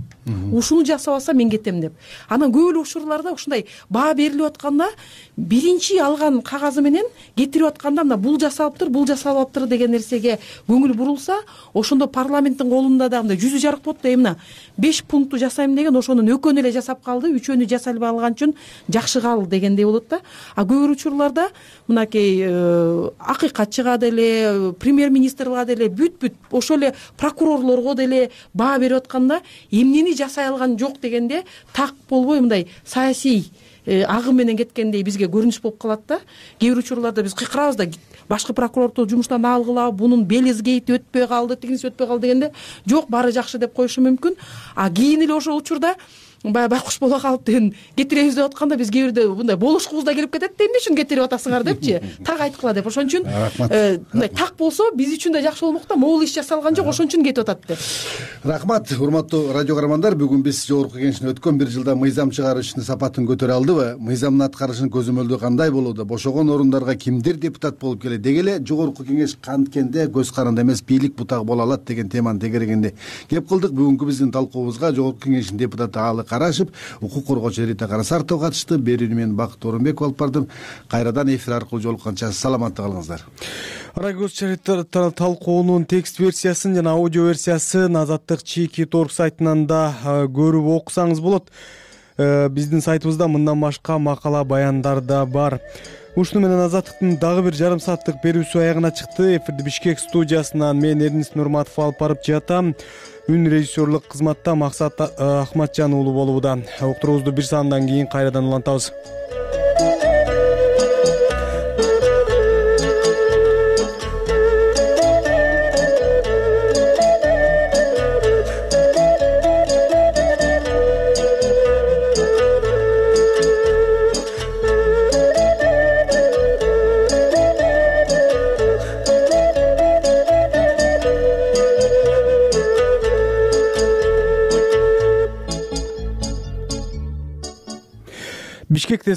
Ушуну жасабаса мен кетем деп. Анан көп эле учурларда ушундай баа берилип атканда, биринчи алган кагазы менен кетирип атканда мына бул жасалыптыр, бул жасалбаптыр деген нерсеге көңүл бурулса, ошондо парламенттин колунда да мындай жүзү жарык болот да. Мына беш пунктту жасайм деген, ошонун экөөнү эле жасап калды, үчөөнү жасай албай калган үчүн жакшы кал дегендей болот да. А көп бир учурларда мынакей акыйкатчыга деле, премьер-министрга деле, бүт-бүт ошол эле прокурорлорго деле баа берип атканда, эмнени жасай алган жок дегенде так болбой мындай саясий агым менен кеткендей бизге көрүнүш болуп калат да. Кээ бир учурларда биз кыйкырабыз да, башкы прокурорду жумуштан алгыла, бунун белизгейти өтпөй калды, тигиниси өтпөй калды дегенде, жок, баары жакшы деп коюшу мүмкүн. А кийин эле ошол учурда баягы байкуш боло калып деген кетиребиз деп атканда биз кээ бирде мындай болушкубуз да келип кетет да, эмне үчүн кетирип атасыңар депчи, так айткыла деп. Ошон үчүн мындай так болсо биз үчүн да жакшы болмок да, могул иш жасалган жок, ошон үчүн кетип атат деп. Рахмат, урматтуу радио каармандар. Бүгүн биз жогорку кеңештин өткөн бир жылда мыйзам чыгаруу ишинин сапатын көтөрө алдыбы, мыйзамдын аткарышынын көзөмөлдөө кандай болууда, бошогон орундарга кимдер депутат болуп келет, деги эле жогорку кеңеш канткенде көз каранды эмес бийлик бутагы боло алат деген теманын тегерегинде кеп кылдык. Бүгүнкү биздин талкуубузга жогорку кеңештин депутаты Аалы Карашев, укук коргоочу Рита Карасартова катышты. Берүүнү мен Бакыт Орунбеков алып бардым. Кайрадан эфир аркылуу жолукканча саламатта калыңыздар. Радио талкуунун текст версиясын жана аудио версиясын Азаттык Чийки торг сайтынан да көрүп окусаңыз болот. Биздин сайтыбызда мындан башка макала, баяндар да бар. Ушуну менен Азаттыктын дагы бир жарым сааттык берүүсү аягына чыкты. Эфирди Бишкек студиясынан мен Эрнис Нурматов алып барып жатам. Үн режиссерлук кызматта Максат Ахматжан уулу болууда. Уктуруубузду бир саамдан кийин кайрадан улантабыз. Бишкекте